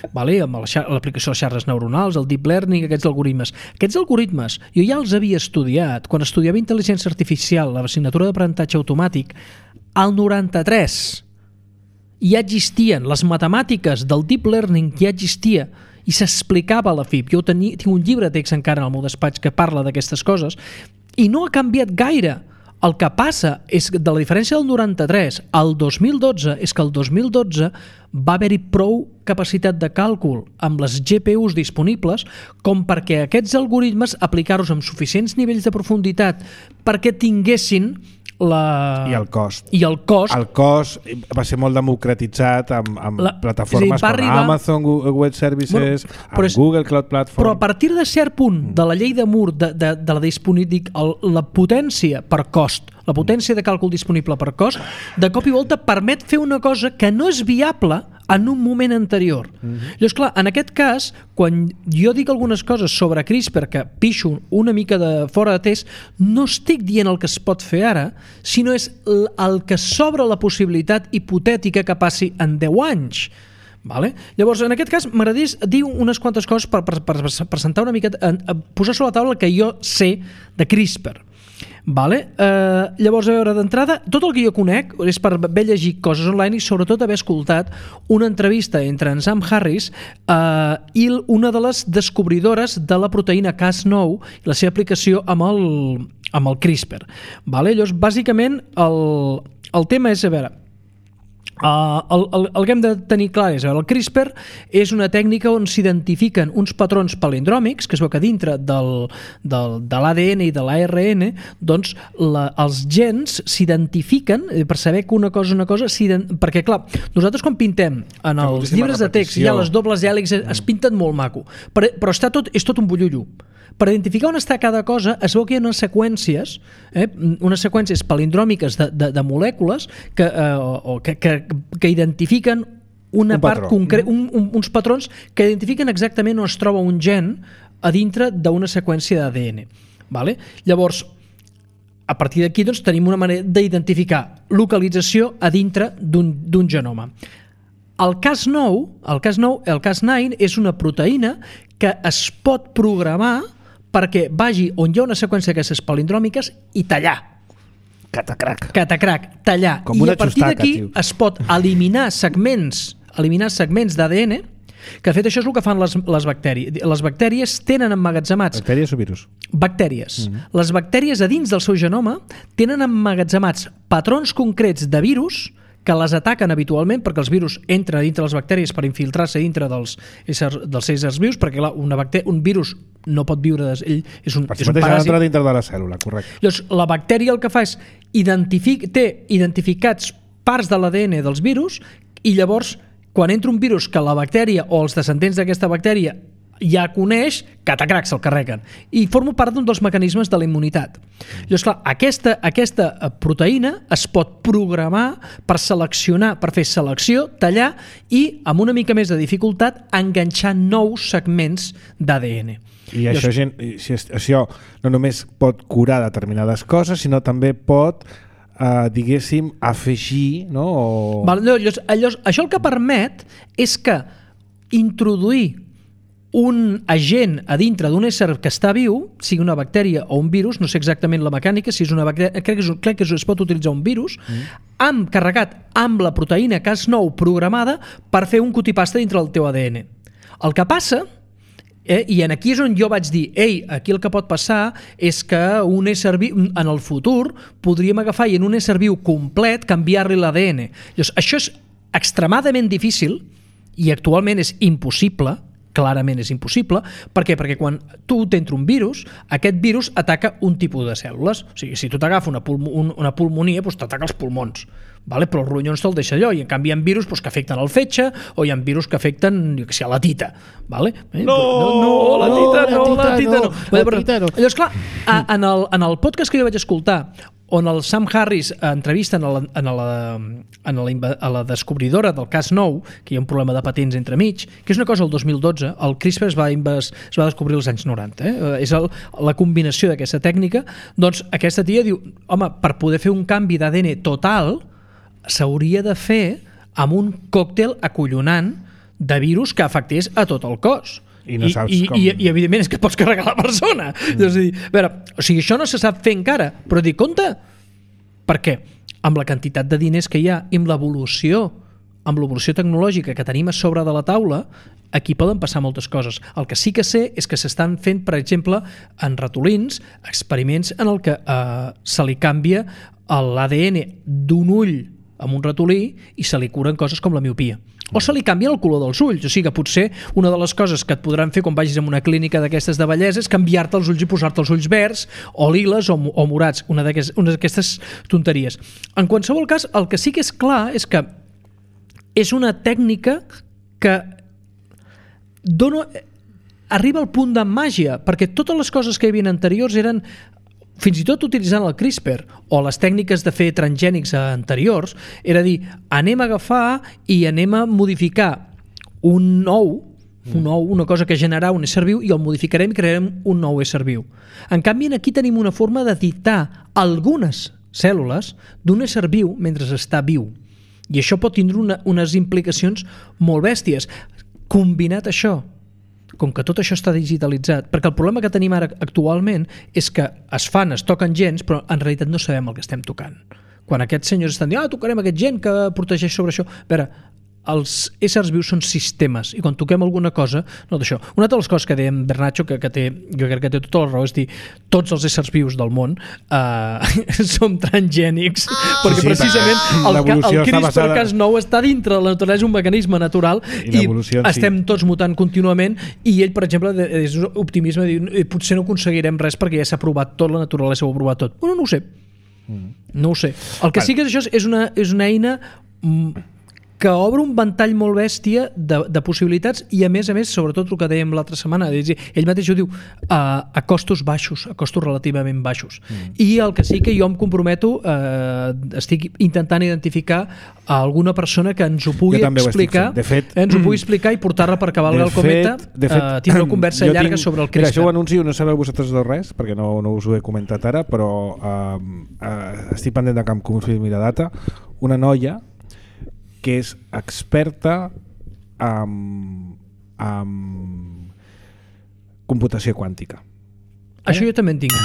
amb l'aplicació de les xarxes neuronals, el deep learning, aquests algoritmes. Aquests algoritmes jo ja els havia estudiat quan estudiava intel·ligència artificial, l'assignatura d'aprenentatge automàtic, al 93 ja existien, les matemàtiques del deep learning ja existia i s'explicava a la FIP. Jo tinc un llibre de text encara en el meu despatx que parla d'aquestes coses i no ha canviat gaire. El que passa és que de la diferència del 93 al 2012 és que el 2012 va haver-hi prou capacitat de càlcul amb les GPUs disponibles com perquè aquests algoritmes aplicar-los amb suficients nivells de profunditat perquè tinguessin I el cost. El cost va ser molt democratitzat amb plataformes com Amazon Web Services, Google Cloud Platform. Però a partir de cert punt de la llei de Moore, de la disponibilitat, la potència per cost, la potència de càlcul disponible per cost, de cop i volta permet fer una cosa que no és viable en un moment anterior. Llavors, clar, en aquest cas, quan jo dic algunes coses sobre CRISPR que pixo una mica de fora de test, no estic dient el que es pot fer ara, sinó és el que s'obre la possibilitat hipotètica que passi en 10 anys. Vale? Llavors, en aquest cas, m'agradaria dir unes quantes coses per presentar una mica, posar sobre la taula el que jo sé de CRISPR. Vale? Llavors, a veure, d'entrada, tot el que jo conec és per haver llegit coses online i sobretot haver escoltat una entrevista entre en Sam Harris i una de les descobridores de la proteïna Cas9 i la seva aplicació amb el CRISPR. Vale? Llavors, bàsicament, el tema és, a veure, el que hem de tenir clar és el CRISPR és una tècnica on s'identifiquen uns patrons palindròmics, que es veu que dintre de l'ADN i de l'ARN doncs els gens s'identifiquen per saber que una cosa perquè clar, nosaltres quan pintem en els llibres de text hi ha les dobles hèlixs, es pinten molt maco, però és tot un bullullo. Per identificar on està cada cosa es veu que hi ha unes seqüències palindròmiques de molècules que identifiquen una part concreta, uns patrons que identifiquen exactament on es troba un gen a dintre d'una seqüència d'ADN. Vale? Llavors, a partir d'aquí doncs, tenim una manera d'identificar localització a dintre d'un genoma. El Cas9 és una proteïna que es pot programar perquè vagi on hi ha una seqüència d'aquestes palindròmiques i tallar. Catacrac, tallar. I a partir d'aquí es pot eliminar segments d'ADN, que de fet això és el que fan les bactèries. Les bactèries tenen emmagatzemats... Bactèries o virus? Bactèries. Les bactèries a dins del seu genoma tenen emmagatzemats patrons concrets de virus que les ataquen habitualment perquè els virus entren dintre les bactèries per infiltrar-se dintre dels éssers vius, perquè un virus no pot viure... Ell és un paràsit. Entra dintre de la cèl·lula, correcte. Llavors, la bactèria el que fa és té identificats parts de l'ADN dels virus i llavors quan entra un virus que la bactèria o els descendents d'aquesta bactèria ja coneix, catacrac, se'l carreguen. I forma part d'un dels mecanismes de la immunitat. Llavors, clar, aquesta proteïna es pot programar per seleccionar, per fer selecció, tallar i, amb una mica més de dificultat, enganxar nous segments d'ADN. I això no només pot curar determinades coses, sinó també pot... diguéssim, afegir, no? Això el que permet és que introduir un agent a dintre d'un ésser que està viu, sigui una bactèria o un virus, no sé exactament la mecànica, si és una bactèria, crec que es pot utilitzar un virus, carregat amb la proteïna Cas9 programada per fer un copy-paste dintre del teu ADN. El que passa... I aquí és on jo vaig dir, aquí el que pot passar és que un ésser viu, en el futur, podríem agafar i en un ésser viu complet canviar-li l'ADN. Això és extremadament difícil i actualment és impossible, clarament és impossible. Per què? Perquè quan tu t'entra un virus, aquest virus ataca un tipus de cèl·lules. O sigui, si tu t'agafa una pulmonia, doncs t'ataca els pulmons. Vale? Però els ronyons te'l deixa allò, i en canvi hi ha virus que afecten el fetge o hi ha virus que afecten, a la tita. Vale? La tita no. Llavors, clar, en el podcast que jo vaig escoltar, on el Sam Harris entrevista a la descobridora del Cas9, que hi ha un problema de patents entremig, que és una cosa del 2012, el CRISPR es va descobrir als anys 90. És la combinació d'aquesta tècnica. Doncs aquesta tia diu, home, per poder fer un canvi d'ADN total s'hauria de fer amb un còctel acollonant de virus que afectés a tot el cos. I no saps com... I evidentment és que pots carregar la persona. Això no se sap fer encara, però dic, compte, perquè amb la quantitat de diners que hi ha i amb l'evolució tecnològica que tenim a sobre de la taula, aquí poden passar moltes coses. El que sí que sé és que s'estan fent, per exemple, en ratolins, experiments en el que se li canvia l'ADN d'un ull amb un ratolí i se li curen coses com la miopia. O se li canvia el color dels ulls. O sigui que potser una de les coses que et podran fer quan vagis a una clínica d'aquestes de bellesa és canviar-te els ulls i posar-te els ulls verds o liles o morats, una d'aquestes tonteries. En qualsevol cas, el que sí que és clar és que és una tècnica que arriba al punt de màgia, perquè totes les coses que hi havia anteriors eren, fins i tot utilitzant el CRISPR o les tècniques de fer transgènics anteriors, era dir, anem a agafar i anem a modificar una cosa que generarà un ésser viu i el modificarem i crearem un nou ésser viu. En canvi, aquí tenim una forma de dictar algunes cèl·lules d'un ésser viu mentre està viu. I això pot tindre unes implicacions molt bèsties. Combinat això, com que tot això està digitalitzat, perquè el problema que tenim ara actualment és que es toquen gens, però en realitat no sabem el que estem tocant. Quan aquests senyors estan dient, tocarem aquest gen que protegeix sobre això. A veure, els éssers vius són sistemes i quan toquem alguna cosa, no d'això. Una de les coses que deia en Bernatxo, jo crec que té tota la raó, és dir, tots els éssers vius del món som transgènics, perquè precisament el CRISPR-Cas9 està dintre de la naturalesa, és un mecanisme natural i estem tots mutant contínuament i ell, per exemple, és optimisme, diu, potser no aconseguirem res perquè ja s'ha provat tot, la naturalesa ho ha provat tot. No ho sé. No ho sé. El que sí que és això és una eina que obre un ventall molt bèstia de possibilitats i a més, sobretot el que dèiem l'altra setmana, ell mateix ho diu, a costos baixos, a costos relativament baixos. I el que sí que jo em comprometo, estic intentant identificar a alguna persona que ens ho pugui explicar, ens ho pugui explicar i portar-la per cavalgar el cometa, tindre una conversa llarga sobre el CRISPR. Això ho anuncio, no sabeu vosaltres res, perquè no us ho he comentat ara, però estic pendent de que em confirmi la data, una noia que és experta en computació quàntica. Això jo també en tinc.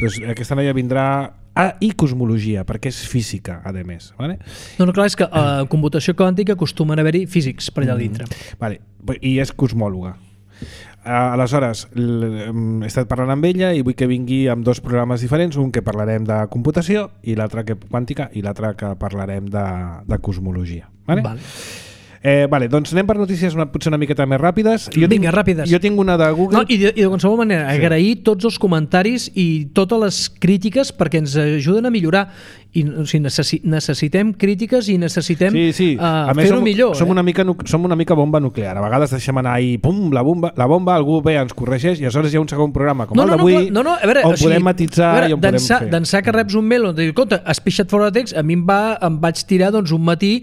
Doncs aquesta noia vindrà i cosmologia, perquè és física, a més. Vale? No, clar, és que a computació quàntica acostumen a haver-hi físics per allà dintre. Vale. I és cosmòloga. Aleshores, he estat parlant amb ella i vull que vingui amb 2 programes diferents, un que parlarem de computació i l'altre quàntica i l'altre que parlarem de cosmologia. Vale? Vale, doncs anem per notícies potser una miqueta més ràpides. Vinga, ràpides. Jo tinc una de Google. No, i de qualsevol manera, agrair tots els comentaris i totes les crítiques perquè ens ajuden a millorar. I necessitem crítiques i necessitem fer-ho millor. Som una mica bomba nuclear. A vegades deixem anar i pum, la bomba, algú ve, ens corregeix i aleshores hi ha un segon programa com el d'avui on podem matisar i on podem fer. D'ençà que reps un mail on dius, escolta, has pixat fora de text, a mi em vaig tirar un matí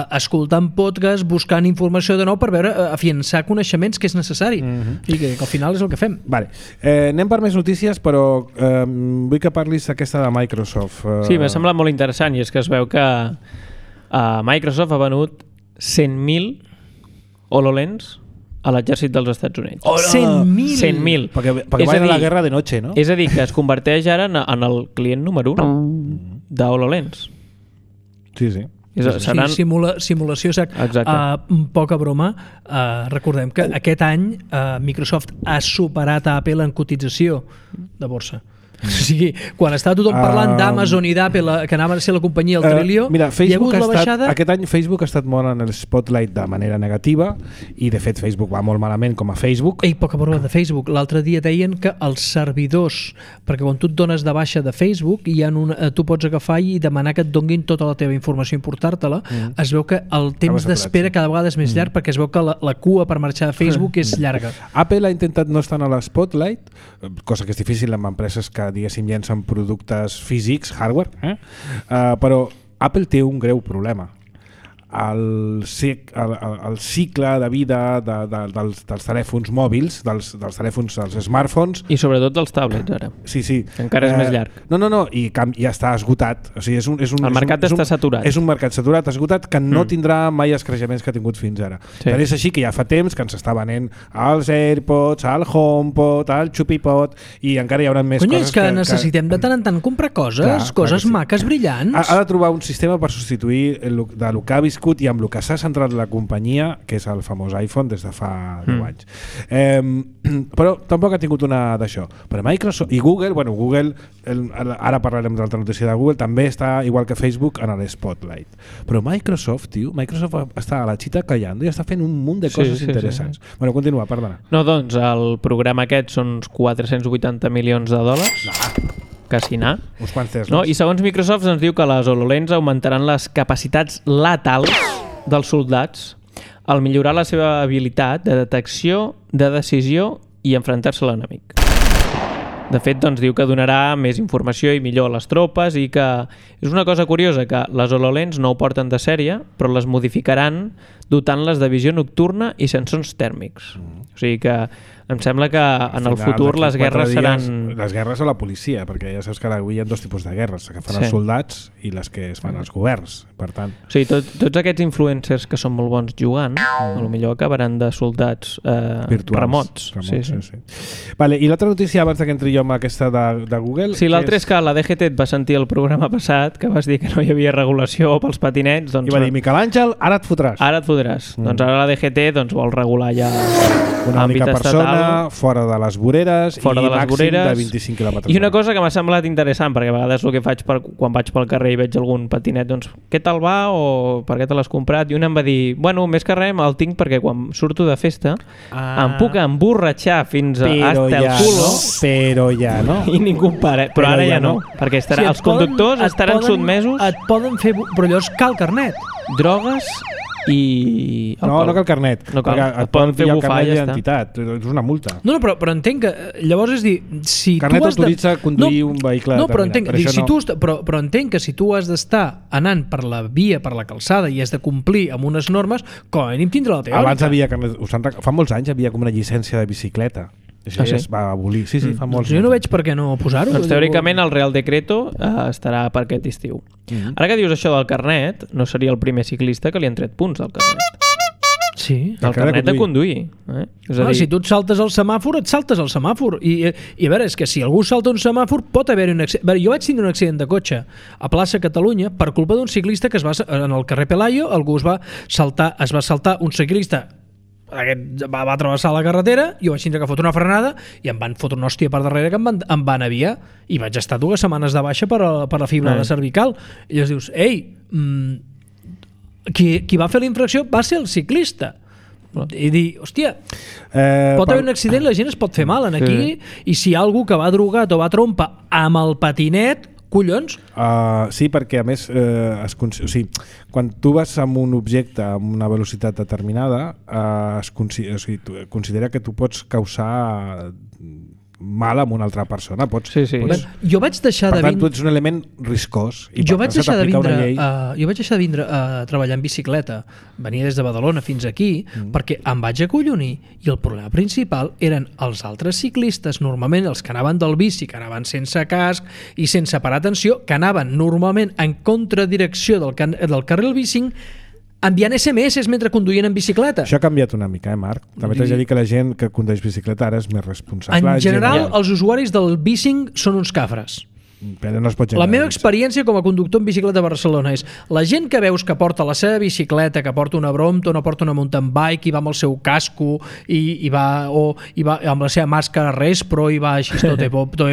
escoltant podcast, buscant informació de nou per veure, afiançar coneixements que és necessari. I que al final és el que fem. Anem per més notícies, però vull que parlis aquesta de Microsoft. Sí, m'ha semblat molt interessant i és que es veu que Microsoft ha venut 100.000 HoloLens a l'exèrcit dels Estats Units. 100.000? 100.000. Perquè van a la guerra de noche, no? És a dir, que es converteix ara en el client número 1 de HoloLens. Sí. Simulació, poca broma. Recordem que aquest any Microsoft ha superat a Apple en cotització de borsa. O sigui, quan estava tothom parlant d'Amazon i d'Apple, que anaven a ser la companyia al trillió, hi ha hagut la baixada... Aquest any Facebook ha estat molt en el spotlight de manera negativa i de fet Facebook va molt malament com a Facebook. Poca broma de Facebook. L'altre dia deien que els servidors, perquè quan tu et dones de baixa de Facebook tu pots agafar i demanar que et donguin tota la teva informació i portar-te-la, es veu que el temps d'espera cada vegada és més llarg perquè es veu que la cua per marxar de Facebook és llarga. Apple ha intentat no estar a l'spotlight, cosa que és difícil amb empreses que diguéssim llencen productes físics, hardware, però Apple té un greu problema. El cicle de vida dels telèfons mòbils, dels telèfons, dels smartphones... I sobretot dels tablets, ara. Sí. Encara és més llarg. No, i ja està esgotat. O sigui, el mercat està saturat. És un mercat saturat, esgotat, que no tindrà mai els creixements que ha tingut fins ara. Però és així que ja fa temps que ens està venent els AirPods, el HomePod, el ChupiPod, i encara hi haurà més coses... És que necessitem de tant en tant comprar coses maques, brillants. Ha de trobar un sistema per substituir de lo que ha viscut i amb el que s'ha centrat la companyia, que és el famós iPhone des de fa 10 anys. Però tampoc ha tingut una d'això. Però Microsoft i Google, ara parlarem de l'altra notícia de Google, també està, igual que Facebook, en l'Spotlight. Però Microsoft està a la xita callando i està fent un munt de coses interessants. Bueno, continua, perdona. No, doncs el programa aquest són uns 480 milions de dòlars. Quasi anar. Uns quants Teslas. No? I segons Microsoft ens diu que les HoloLens augmentaran les capacitats letals dels soldats al millorar la seva habilitat de detecció, de decisió i enfrontar-se a l'enemic. De fet, doncs, diu que donarà més informació i millor a les tropes i que és una cosa curiosa que les HoloLens no ho porten de sèrie, però les modificaran dotant-les de visió nocturna i sensors tèrmics. O sigui que em sembla que en el futur les guerres seran... Les guerres a la policia, perquè ja saps que avui hi ha 2 tipus de guerres, que fan els soldats i les que es fan els governs, per tant... O sigui, tots aquests influencers que són molt bons jugant, potser acabaran de soldats remots. Sí. Vale, i l'altra notícia, abans que entri jo amb aquesta de Google... Sí, l'altra és que la DGT et va sentir el programa passat, que vas dir que no hi havia regulació pels patinets... I va dir, Miquel Àngel, ara et fotràs. Doncs ara la DGT vol regular ja una única persona, fora de les voreres i màxim de 25 km/h. I una cosa que m'ha semblat interessant, perquè a vegades el que faig quan vaig pel carrer i veig algun patinet, doncs, què tal va o per què te l'has comprat? I un em va dir, bueno, més que res el tinc perquè quan surto de festa em puc emborratxar fins hasta el culo, però ja no. I ningú para. Però ara ja no, perquè els conductors estaran sotmesos... Et poden fer... Però llavors cal carnet. Drogues i... No cal carnet. No cal. Perquè Et poden fer pillar el bufar carnet i ja està. d'identitat. És una multa. No, però entenc que... Llavors és dir... Si Carnet tu has autoritza conduir un vehicle no, però determinat. entenc, dic, si tu, però entenc que si tu has d'estar anant per la via, per la calçada i has de complir amb unes normes, com a mínim tindrà la teòrica. Abans havia carnet... Fa molts anys havia com una llicència de bicicleta. Això es va abolir. Sí, fa molts Jo no veig per què no posar-ho. Doncs teòricament el Real Decreto estarà per aquest estiu. Ara que dius això del carnet, no seria el primer ciclista que li han tret punts al carnet. Sí. El carnet de conduir. És a dir, si tu et saltes el semàfor, et saltes el semàfor. I a veure, és que si algú salta un semàfor pot haver-hi un accident. Jo vaig tindre un accident de cotxe a plaça Catalunya per culpa d'un ciclista que en el carrer Pelayo algú es va saltar un ciclista. Aquest va travessar la carretera, jo vaig tindre que fotre una frenada i em van fotre una hòstia per darrere que em van aviar i vaig estar 2 setmanes de baixa per la fibrada cervical. I llavors dius, qui va fer la infracció va ser el ciclista. I dir, hòstia, pot haver un accident, la gent es pot fer mal en aquí, i si hi ha algú que va drogat o va trompa amb el patinet, collons. Sí, perquè a més quan tu vas amb un objecte amb una velocitat determinada considera que tu pots causar mal amb una altra persona. Jo vaig deixar per tant, tu ets un element riscós. Jo vaig deixar de vindre a treballar en bicicleta. Venia des de Badalona fins aquí perquè em vaig acollonir i el problema principal eren els altres ciclistes, normalment els que anaven del bici, que anaven sense casc i sense parar atenció, que anaven normalment en contradirecció del carril bici, enviant SMS mentre conduïen en bicicleta. Això ha canviat una mica, Marc? També t'haig de dir que la gent que condueix bicicleta ara és més responsable. En general, els usuaris del bicing són uns cafres. Però no es pot la meva experiència com a conductor en bicicleta a Barcelona és la gent que veus que porta la seva bicicleta, que porta una Brompton o porta una mountain bike i va amb el seu casco i va amb la seva màscara Respro i va així tot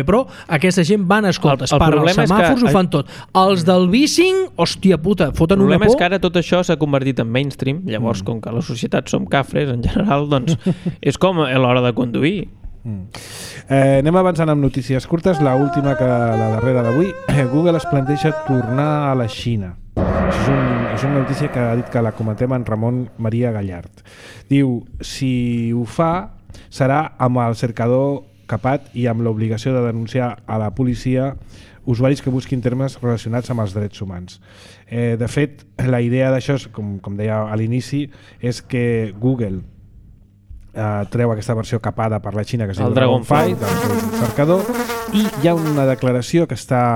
pro, aquesta gent van a escoltes, paren els semàfors, ho fan tot. Els del bicing, hòstia puta, foten una por. El problema és que ara tot això s'ha convertit en mainstream, llavors com que la societat som cafres en general, doncs és com a l'hora de conduir. Anem avançant amb notícies curtes. La última, la darrera d'avui. Google es planteja tornar a la Xina. És una notícia que ha dit que la comentem en Ramon Maria Gallard. Diu, si ho fa serà amb el cercador capat i amb l'obligació de denunciar a la policia usuaris que busquin termes relacionats amb els drets humans. De fet, la idea d'això, com deia a l'inici, és que Google treu aquesta versió capada per la Xina, que és el Dragonfly del seu cercador, i hi ha una declaració que està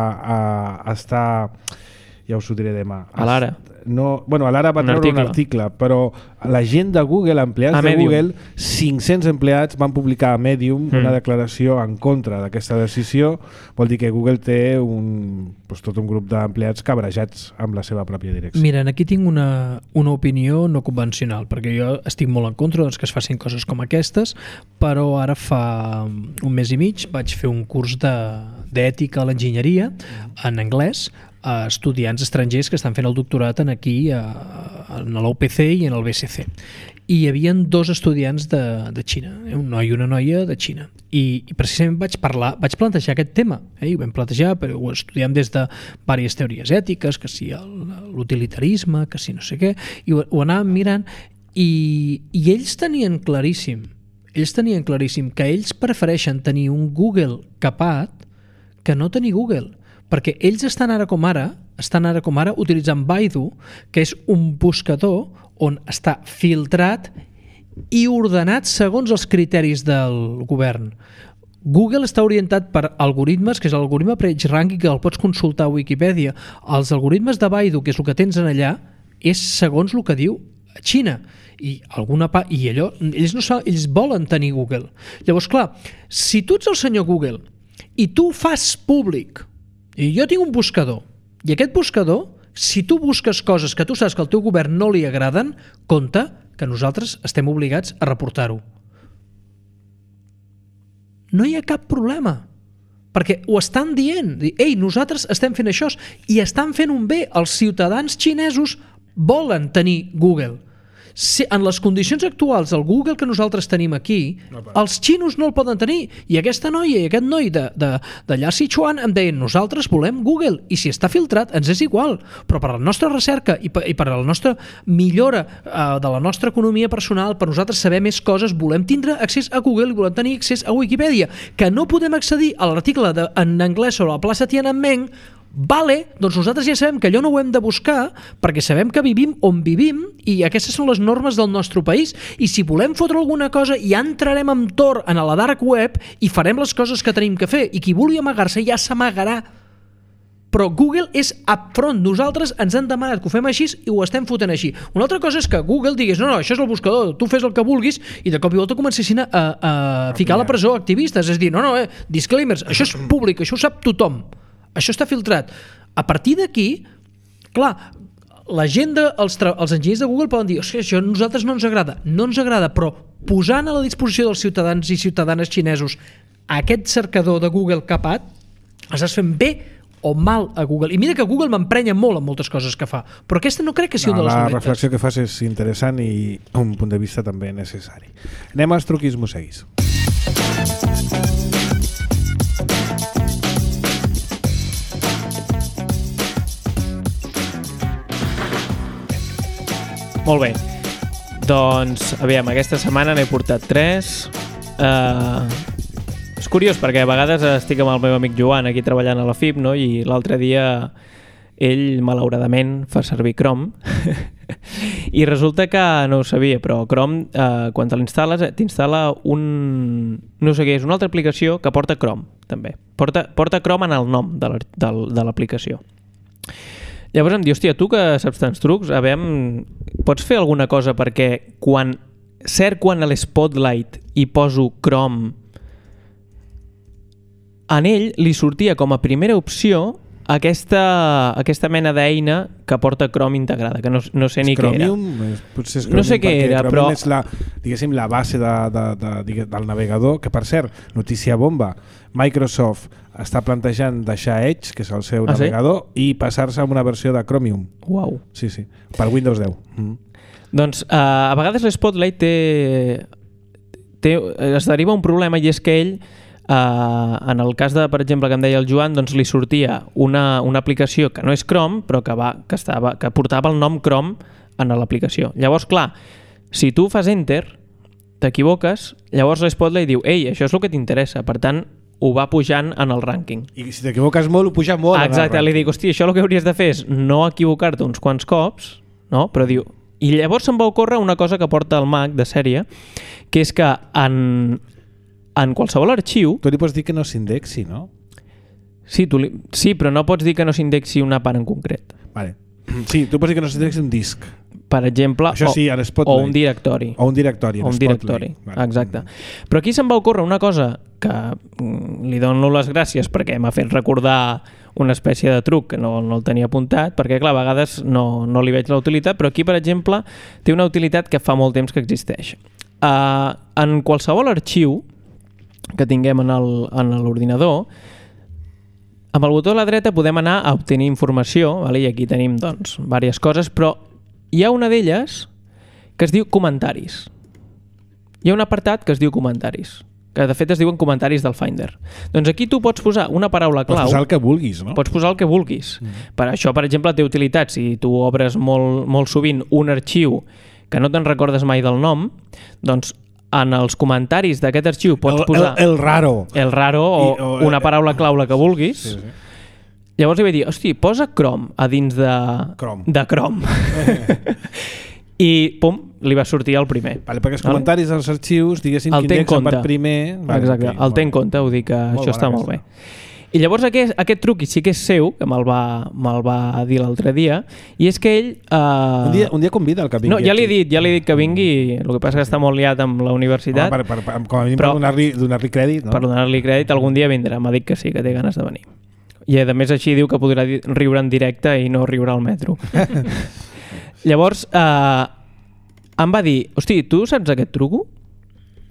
ja us ho diré demà. A l'Ara. A l'Ara va treure un article, però la gent de Google, empleats de Google, 500 empleats van publicar a Medium una declaració en contra d'aquesta decisió. Vol dir que Google té tot un grup d'empleats cabrejats amb la seva pròpia direcció. Mira, aquí tinc una opinió no convencional, perquè jo estic molt en contra que es facin coses com aquestes, però ara fa un mes i mig vaig fer un curs d'ètica a l'enginyeria en anglès a estudiants estrangers que estan fent el doctorat aquí a la UPC i en el BSC. I hi havia 2 estudiants de Xina, un noi i una noia de Xina. I precisament vaig plantejar aquest tema, i ho vam plantejar, però ho estudiem des de diverses teories ètiques, que si l'utilitarisme, que si no sé què, i ho anàvem mirant, i ells tenien claríssim que ells prefereixen tenir un Google capat que no tenir Google, perquè ells estan ara com ara utilitzant Baidu, que és un buscador on està filtrat i ordenat segons els criteris del govern. Google està orientat per algoritmes, que és l'algoritme PageRank, que el pots consultar a Wikipedia. Els algoritmes de Baidu, que és el que tens en allà, és segons el que diu Xina. Ells volen tenir Google. Llavors, clar, si tu ets el senyor Google i tu fas públic, i jo tinc un buscador, i aquest buscador, si tu busques coses que tu saps que al teu govern no li agraden, compte que nosaltres estem obligats a reportar-ho. No hi ha cap problema, perquè ho estan dient. Ei, nosaltres estem fent això i estan fent un bé. Els ciutadans xinesos volen tenir Google. en les condicions actuals, el Google que nosaltres tenim aquí, els xinos no el poden tenir. I aquesta noia i aquest noi d'allà a Sichuan em deien, nosaltres volem Google, i si està filtrat ens és igual, però per la nostra recerca i per la nostra millora de la nostra economia personal, per nosaltres saber més coses, volem tindre accés a Google i volem tenir accés a Wikipedia. Que no podem accedir a l'article en anglès sobre la plaça Tiananmen, vale, doncs nosaltres ja sabem que allò no ho hem de buscar perquè sabem que vivim on vivim i aquestes són les normes del nostre país, i si volem fotre alguna cosa ja entrarem amb tor en la dark web i farem les coses que tenim que fer, i qui vulgui amagar-se ja s'amagarà. Però Google és upfront. Nosaltres ens han demanat que ho fem així i ho estem fotent així. Una altra cosa és que Google digués no, això és el buscador, tu fes el que vulguis, i de cop i volta comencessin a ficar a la presó activistes. És dir, no, disclaimers, això és públic, això ho sap tothom. Això està filtrat. A partir d'aquí, clar, la gent els enginyers de Google poden dir això a nosaltres no ens agrada. No ens agrada, però posant a la disposició dels ciutadans i ciutadanes xinesos aquest cercador de Google capat, estàs fent bé o mal a Google. I mira que Google m'emprenya molt en moltes coses que fa, però aquesta no crec que sigui un dels La dolentes. reflexió que fas és interessant i un punt de vista també necessari. Anem als truquis mosseguis. Molt bé. Doncs, aviam, aquesta setmana n'he portat 3. És curiós perquè a vegades estic amb el meu amic Joan aquí treballant a la FIP, no? I l'altre dia ell, malauradament, fa servir Chrome i resulta que no ho sabia, però Chrome, quan te l'instal·les, t'instal·la no sé què, és una altra aplicació que porta Chrome, també. Porta Chrome en el nom de l'aplicació. Llavors em diu, hòstia, tu que saps tants trucs, pots fer alguna cosa perquè quan a l'Spotlight i poso Chrome, en ell li sortia com a primera opció aquesta mena d'eina que porta Chrome integrada, que no sé ni què era. Potser és Chromium, no sé què era, però... és la base del navegador, que per cert, notícia bomba, Microsoft està plantejant deixar Edge, que és el seu navegador, i passar-se a una versió de Chromium. Uau. Sí, per Windows 10. Doncs a vegades l'Spotlight es deriva un problema, i és que ell, en el cas de, per exemple, que em deia el Joan, doncs li sortia una aplicació que no és Chrome, però que portava el nom Chrome en l'aplicació. Llavors, clar, si tu fas Enter, t'equivoques, llavors l'Spotlight diu, ei, això és el que t'interessa, per tant, ho va pujant en el rànquing. I si t'equivoques molt, ho puja molt. Exacte, li dic, hòstia, això el que hauries de fer és no equivocar-te uns quants cops, no? Però diu... I llavors se'm va ocórrer una cosa que porta el Mac de sèrie, que és que en qualsevol arxiu... Tu li pots dir que no s'indexi, no? Sí, però no pots dir que no s'indexi una part en concret. Vale. Sí, tu pots dir que no s'indexi un disc. Per exemple, o un directori. O un directori. Exacte. Però aquí se'm va ocórrer una cosa que li dono les gràcies perquè m'ha fet recordar una espècie de truc que no el tenia apuntat, perquè clar, a vegades no li veig la utilitat, però aquí, per exemple, té una utilitat que fa molt temps que existeix. En qualsevol arxiu que tinguem en l'ordinador, amb el botó a la dreta podem anar a obtenir informació, i aquí tenim doncs diverses coses, però hi ha una d'elles que es diu comentaris. Hi ha un apartat que es diu comentaris, que de fet es diuen comentaris del Finder. Doncs aquí tu pots posar una paraula clau. Pots posar el que vulguis, no? Pots posar el que vulguis. Per això, per exemple, té utilitat. Si tu obres molt sovint un arxiu que no te'n recordes mai del nom, doncs en els comentaris d'aquest arxiu pots posar... El raro. El raro o una paraula clau, la que vulguis. Sí. Llavors li vaig dir, hosti, posa Chrome a dins de Chrome. I pum, li va sortir el primer. Vale, perquè els comentaris dels arxius, diguéssim, que indexen per primer... Exacte, el té en compte, ho dic que això està molt bé. I llavors aquest truc sí que és seu, que me'l va dir l'altre dia, i és que ell... Un dia convida el que vingui. No, ja li he dit que vingui, el que passa que està molt liat amb la universitat. Com a mínim per donar-li crèdit, no? Per donar-li crèdit, algun dia vindrà, m'ha dit que sí, que té ganes de venir. I a més així diu que podrà riure en directe i no riure al metro. Llavors em va dir, hosti, tu saps aquest truco?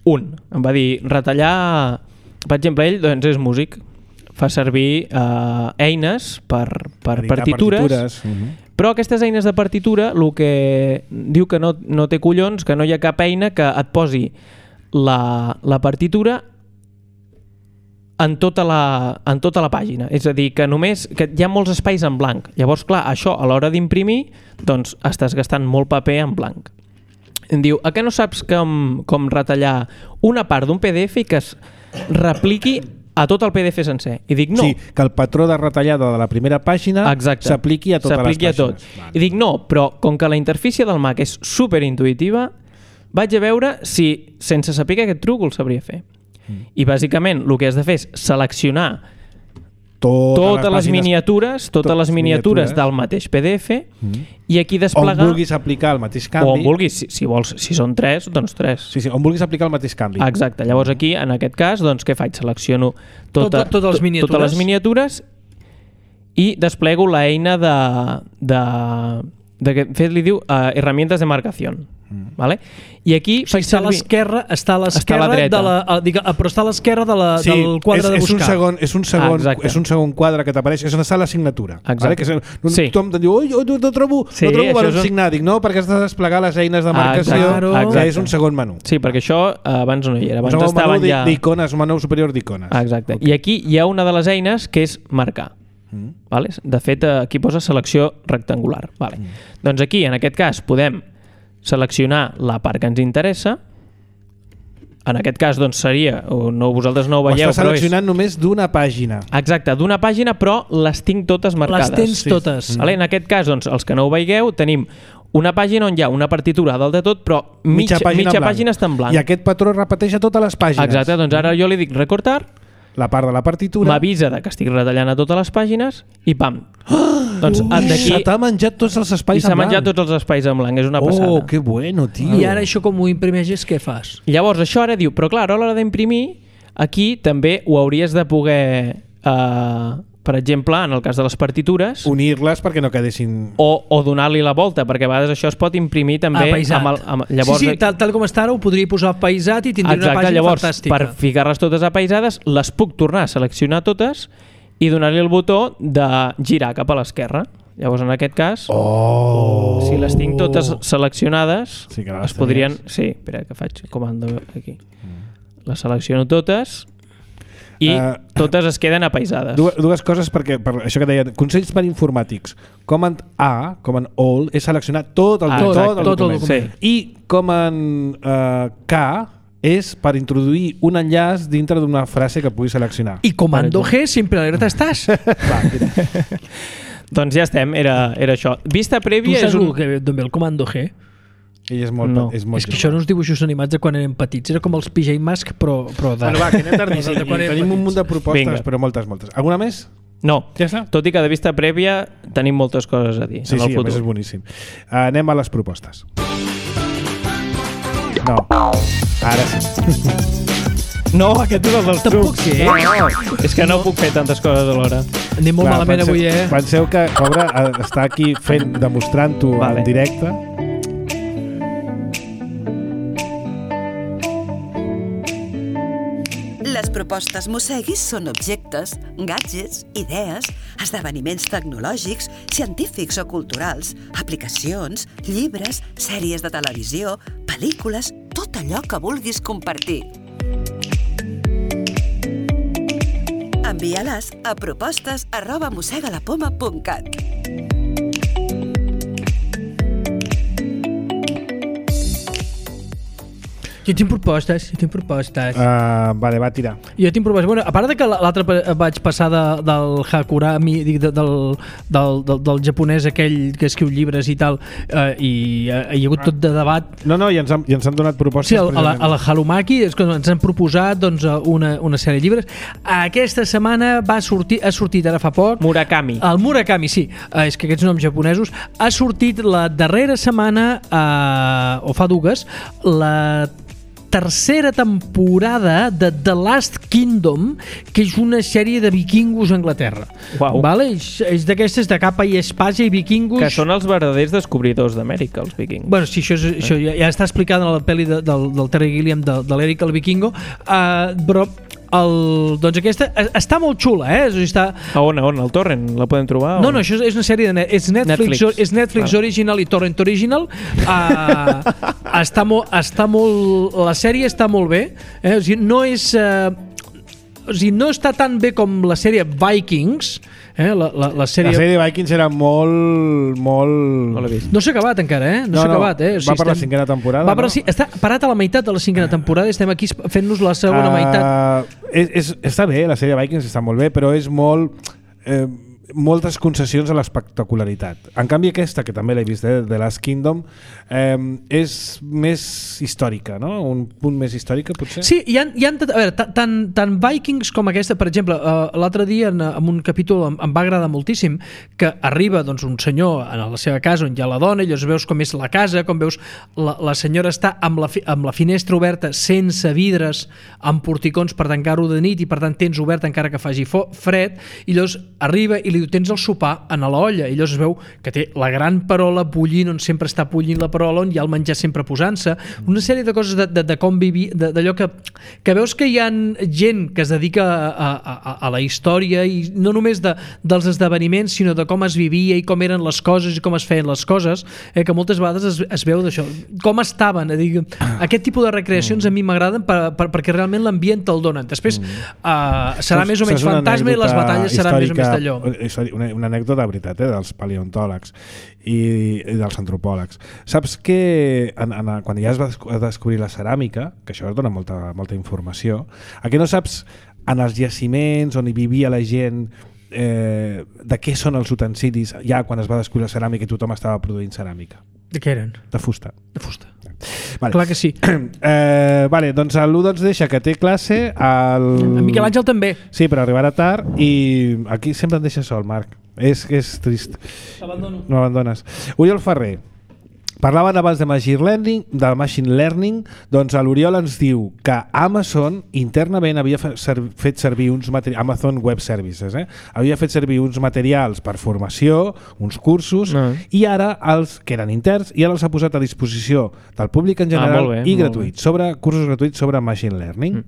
Em va dir, retallar... Per exemple, ell doncs, és músic, fa servir eines per partitures, Però aquestes eines de partitura, el que diu que no té collons, que no hi ha cap eina que et posi la partitura en tota la pàgina. És a dir, que només que hi ha molts espais en blanc. Llavors, clar, això a l'hora d'imprimir, doncs estàs gastant molt paper en blanc. Em diu, a què no saps com retallar una part d'un PDF i que es repliqui a tot el PDF sencer? I dic, no. Sí, que el patró de retallada de la primera pàgina s'apliqui a totes les pàgines. Vale. I dic, no, però com que la interfície del Mac és superintuitiva, vaig a veure si sense saber aquest truc el sabria fer. I bàsicament el que has de fer és seleccionar totes les miniatures del mateix PDF i aquí desplegar... On vulguis aplicar el mateix canvi. O on vulguis, si vols, si són 3, doncs 3. Sí, on vulguis aplicar el mateix canvi. Exacte, llavors aquí, en aquest cas, doncs què faig? Selecciono totes les miniatures i desplego l'eina de fet li diu herramientas de marcación. Vale? I aquí faig està a l'esquerra però està a l'esquerra del quadre de buscar. És un segon quadre que t'apareix, és on està la signatura. Vale? Que tothom te diu, no trobo per on signar. Dic, no, perquè has de desplegar les eines de marcació, que és un segon menú. Sí, perquè això abans no hi era. Abans un estaven menú d'icones, un menú superior d'icones. Exacte. I aquí hi ha una de les eines que és marcar. Vale? De fet, aquí posa selecció rectangular. Vale. Doncs aquí, en aquest cas, podem seleccionar la part que ens interessa. En aquest cas doncs seria, vosaltres no ho veieu, ho està seleccionant només d'una pàgina. Exacte, d'una pàgina, però les tinc totes marcades. Les tens totes. Vale? En aquest cas, doncs, els que no ho veieu, tenim una pàgina on hi ha una partitura dalt de tot, però mitja pàgina està en blanc. I aquest patró repeteix a totes les pàgines. Exacte, doncs ara jo li dic recortar, la part de la partitura, m'avisa que estic retallant a totes les pàgines i pam! Doncs se t'ha menjat tots els espais en blanc. I s'ha menjat tots els espais en blanc, és una passada. Oh, que bueno, tio. I ara això com ho imprimeixes, què fas? Llavors això ara diu, però clar, a l'hora d'imprimir, aquí també ho hauries de poder, per exemple, en el cas de les partitures, unir-les perquè no quedessin... O donar-li la volta, perquè a vegades això es pot imprimir també... Llavors, sí, tal com està ara ho podria posar apaïsat i tindria una pàgina llavors, fantàstica. Per ficar-les totes apaïsades, les puc tornar a seleccionar totes i donar-li el botó de girar cap a l'esquerra. Llavors, en aquest cas, si les tinc totes seleccionades, es podrien... Sí, espera, que faig comando aquí. Les selecciono totes i totes es queden apaïsades. Dues coses, perquè per això que deia, consells per informàtics. Command A, Command All, és seleccionar tot el document. Sí. I Command K és per introduir un enllaç dintre d'una frase que puguis seleccionar. I Comando G, sempre alerta estàs. Doncs ja estem, era això. Vista prèvia... Tu saps d'on ve el Comando G? Ell és molt és que això no uns dibuixos animats de quan érem petits, era com els PJ Masks però de... Bueno, va, que anem tardíssim. Tenim un munt de propostes, però moltes. Alguna més? No, ja està? Tot i que de vista prèvia tenim moltes coses a dir. Sí, a més és boníssim. Anem a les propostes. No, ara sí. No, aquest és el dels trucs. No. És que no puc fer tantes coses alhora. Anem molt malament avui, Penseu que Cobra està aquí demostrant-ho en directe. Les propostes Mosseguis són objectes, gadgets, idees, esdeveniments tecnològics, científics o culturals, aplicacions, llibres, sèries de televisió, pel·lícules, tot allò que vulguis compartir. Envia-les a propostes@mossegalapoma.cat. Jo tinc propostes. Vale, va, tira. Jo tinc propostes. Bueno, a part de que l'altre vaig passar del Hakurami, del japonès aquell que escriu llibres i tal, i hi ha hagut tot de debat. No, i ens han donat propostes. Sí, a la Halumaki ens han proposat una sèrie de llibres. Aquesta setmana ha sortit ara fa poc... Murakami. El Murakami, sí. És que aquests noms japonesos. Ha sortit la darrera setmana, o fa dues, la tercera temporada de The Last Kingdom, que és una sèrie de vikingos a Anglaterra. Wow. Vale? És d'aquestes de capa i espasa i vikingos... Que són els verdaders descobridors d'Amèrica, els vikingos. Bueno, sí, això ja està explicat en la pel·li del Terry Gilliam, de l'Eric el Vikingo, però doncs aquesta està molt xula, O sigui, està... A on? Al torrent? La podem trobar? No, això és una sèrie de és Netflix original i torrent original. Està molt la sèrie està molt bé, O sigui, no és no està tan bé com la sèrie Vikings, la sèrie Vikings era molt... No s'ha acabat encara, No s'ha acabat, O sigui, va per la 5a temporada, està parat a la meitat de la 5a temporada i estem aquí fent-nos la segona meitat. Està bé, la sèrie Vikings està molt bé, però és moltes concessions a l'espectacularitat. En canvi aquesta, que també l'he vist, The Last Kingdom, és més històrica, no? Un punt més històrica, potser? Sí, a veure, tant Vikings com aquesta, per exemple, l'altre dia en un capítol em va agradar moltíssim, que arriba doncs, un senyor a la seva casa on hi ha la dona, i llavors veus com és la casa, com veus la senyora està amb la finestra oberta sense vidres, amb porticons per tancar-ho de nit, i per tant tens obert encara que faci fred, i llavors arriba i li diu, tens el sopar a l'olla, i llavors es veu que té la gran perola bullint, on sempre està bullint la perola, on hi ha el menjar sempre posant-se, una sèrie de coses de com vivir, d'allò que veus que hi ha gent que es dedica a la història, i no només dels esdeveniments, sinó de com es vivia i com eren les coses i com es feien les coses, que moltes vegades es veu d'això, com estaven, aquest tipus de recreacions a mi m'agraden perquè realment l'ambient te'l donen. Després serà més o menys fantasma i les batalles seran més o menys d'allò. Una anècdota de veritat, dels paleontòlegs i dels antropòlegs. Saps que quan ja es va descobrir la ceràmica, que això dona molta informació, que no saps en els jaciments on hi vivia la gent de què són els utensilis ja quan es va descobrir la ceràmica i tothom estava produint ceràmica? De què eren? De fusta. De fusta. Vale. Clar que sí. Doncs l'1 deixa que té classe. En Miquel Àngel també. Sí, però arribarà tard i aquí sempre em deixa sol, Marc. És trist. T'abandono. No abandones. Oriol Ferrer. Parlaven abans de machine learning, doncs l'Oriol ens diu que Amazon internament havia fet servir uns materials, Amazon Web Services, havia fet servir uns materials per formació, uns cursos, i ara que eren interns, i ara els ha posat a disposició del públic en general i gratuïts, cursos gratuïts sobre machine learning.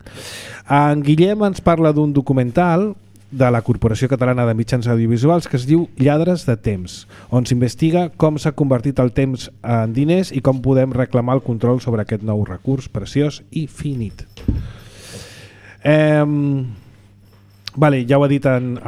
En Guillem ens parla d'un documental de la Corporació Catalana de Mitjans Audiovisuals que es diu Lladres de Temps, on s'investiga com s'ha convertit el temps en diners i com podem reclamar el control sobre aquest nou recurs preciós i finit. Ja ho ha dit en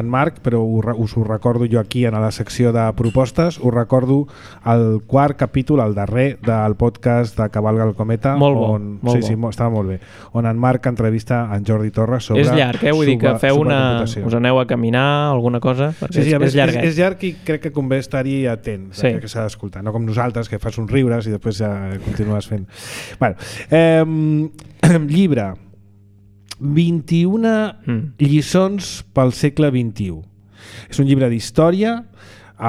Marc, però us ho recordo jo aquí en la secció de propostes. Us recordo el 4 capítol, el darrer del podcast de Cavalga el Cometa. Molt bo. Sí, estava molt bé. On en Marc entrevista en Jordi Torres sobre... És llarg, vull dir que feu us aneu a caminar, alguna cosa? Sí, és llarg. És llarg i crec que convé estar-hi atent, que s'ha d'escoltar. No com nosaltres, que fas uns riures i després ja continues fent. Llibre. 21 lliçons pel segle XXI. És un llibre d'història,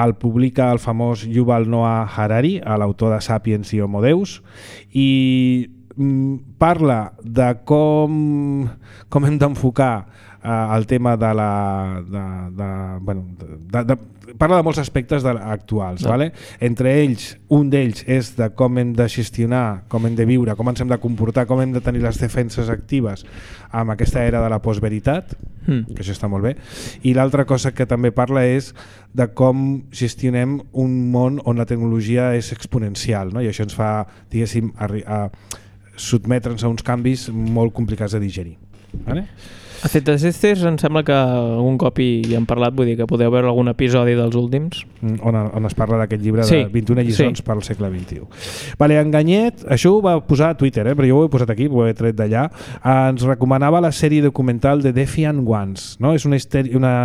el publica el famós Yuval Noah Harari, l'autor de Sapiens i Homo Deus, i parla de com hem d'enfocar el tema de parla de molts aspectes actuals, vale? Entre ells, un d'ells és de com hem de gestionar, com hem de viure, com ens hem de comportar, com hem de tenir les defenses actives amb aquesta era de la postveritat, que això està molt bé, i l'altra cosa que també parla és de com gestionem un món on la tecnologia és exponencial, no? I això ens fa, diguéssim, sotmetre'ns a uns canvis molt complicats de digerir. Vale? A Cetacestes em sembla que algun cop hi hem parlat, vull dir que podeu veure algun episodi dels últims. On es parla d'aquest llibre de 21 lliçons pel segle XXI. Enganyet, això ho va posar a Twitter, però jo ho he posat aquí, ho he tret d'allà, ens recomanava la sèrie documental de Defiant Ones, no? És una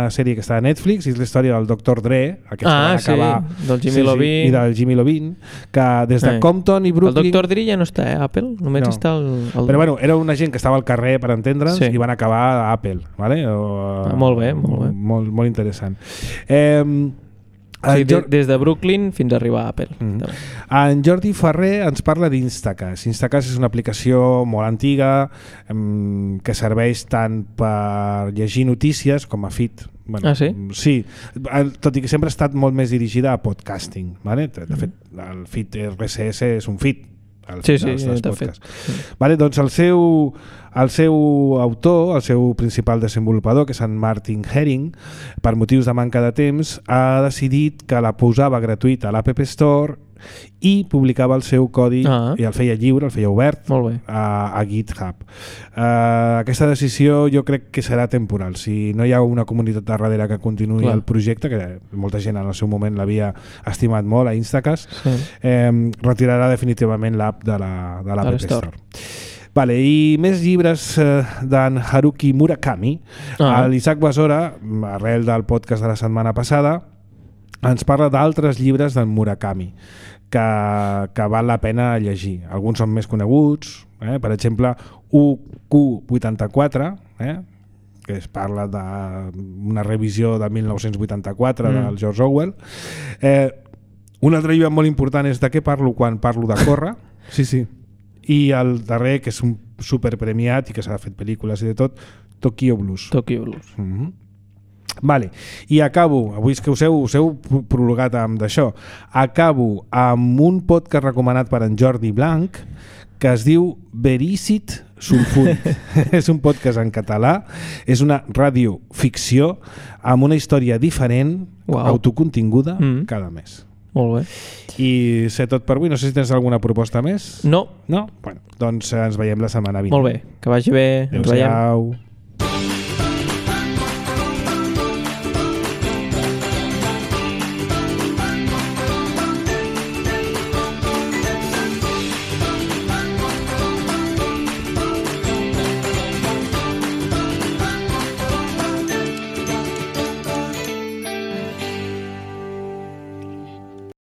sèrie que està a Netflix i és la història del Dr. Dre, del Jimmy Iovine. I del Jimmy Iovine, que des de Compton i Brooklyn... El Dr. Dre ja no està a Apple, només està Però bueno, era una gent que estava al carrer per entendre'ns i van acabar a Apple, vale? Molt bé. Molt interessant. Des de Brooklyn fins a arribar a Apple. En Jordi Ferrer ens parla d'Instacast. Instacast és una aplicació molt antiga que serveix tant per llegir notícies com a feed. Sí, tot i que sempre ha estat molt més dirigida a podcasting, vale? De fet, el feed RSS és un feed Sí, dels de podcasts. fet. Vale, doncs el seu autor, el seu principal desenvolupador, que és en Martin Herring, per motius de manca de temps, ha decidit que la posava gratuïta a l'App Store i publicava el seu codi i el feia lliure, el feia obert a GitHub. Aquesta decisió jo crec que serà temporal. Si no hi ha una comunitat darrere que continuï el projecte, que molta gent en el seu moment l'havia estimat molt a Instacast, retirarà definitivament l'app de l'App Store. Vale, i més llibres d'en Haruki Murakami. L'Isaac Besora, arrel del podcast de la setmana passada, ens parla d'altres llibres d'en Murakami que val la pena llegir. Alguns són més coneguts, per exemple UQ84, que es parla d'una revisió de 1984 del George Orwell. Un altre llibre molt important és De què parlo quan parlo de córrer. Sí. I el darrer, que és un superpremiat i que s'ha fet pel·lícules i de tot, Tokyo Blues. Vale. I acabo, avui és que us heu prologat amb d'això, acabo amb un podcast recomanat per en Jordi Blanc que es diu Verícit Sulfúric. És un podcast en català, és una radioficció amb una història diferent, autocontinguda, cada mes. Molt bé. I sé tot per avui. No sé si tens alguna proposta més. No? Bueno, doncs ens veiem la setmana vinent. Molt bé, que vagi bé. Adéu-siau.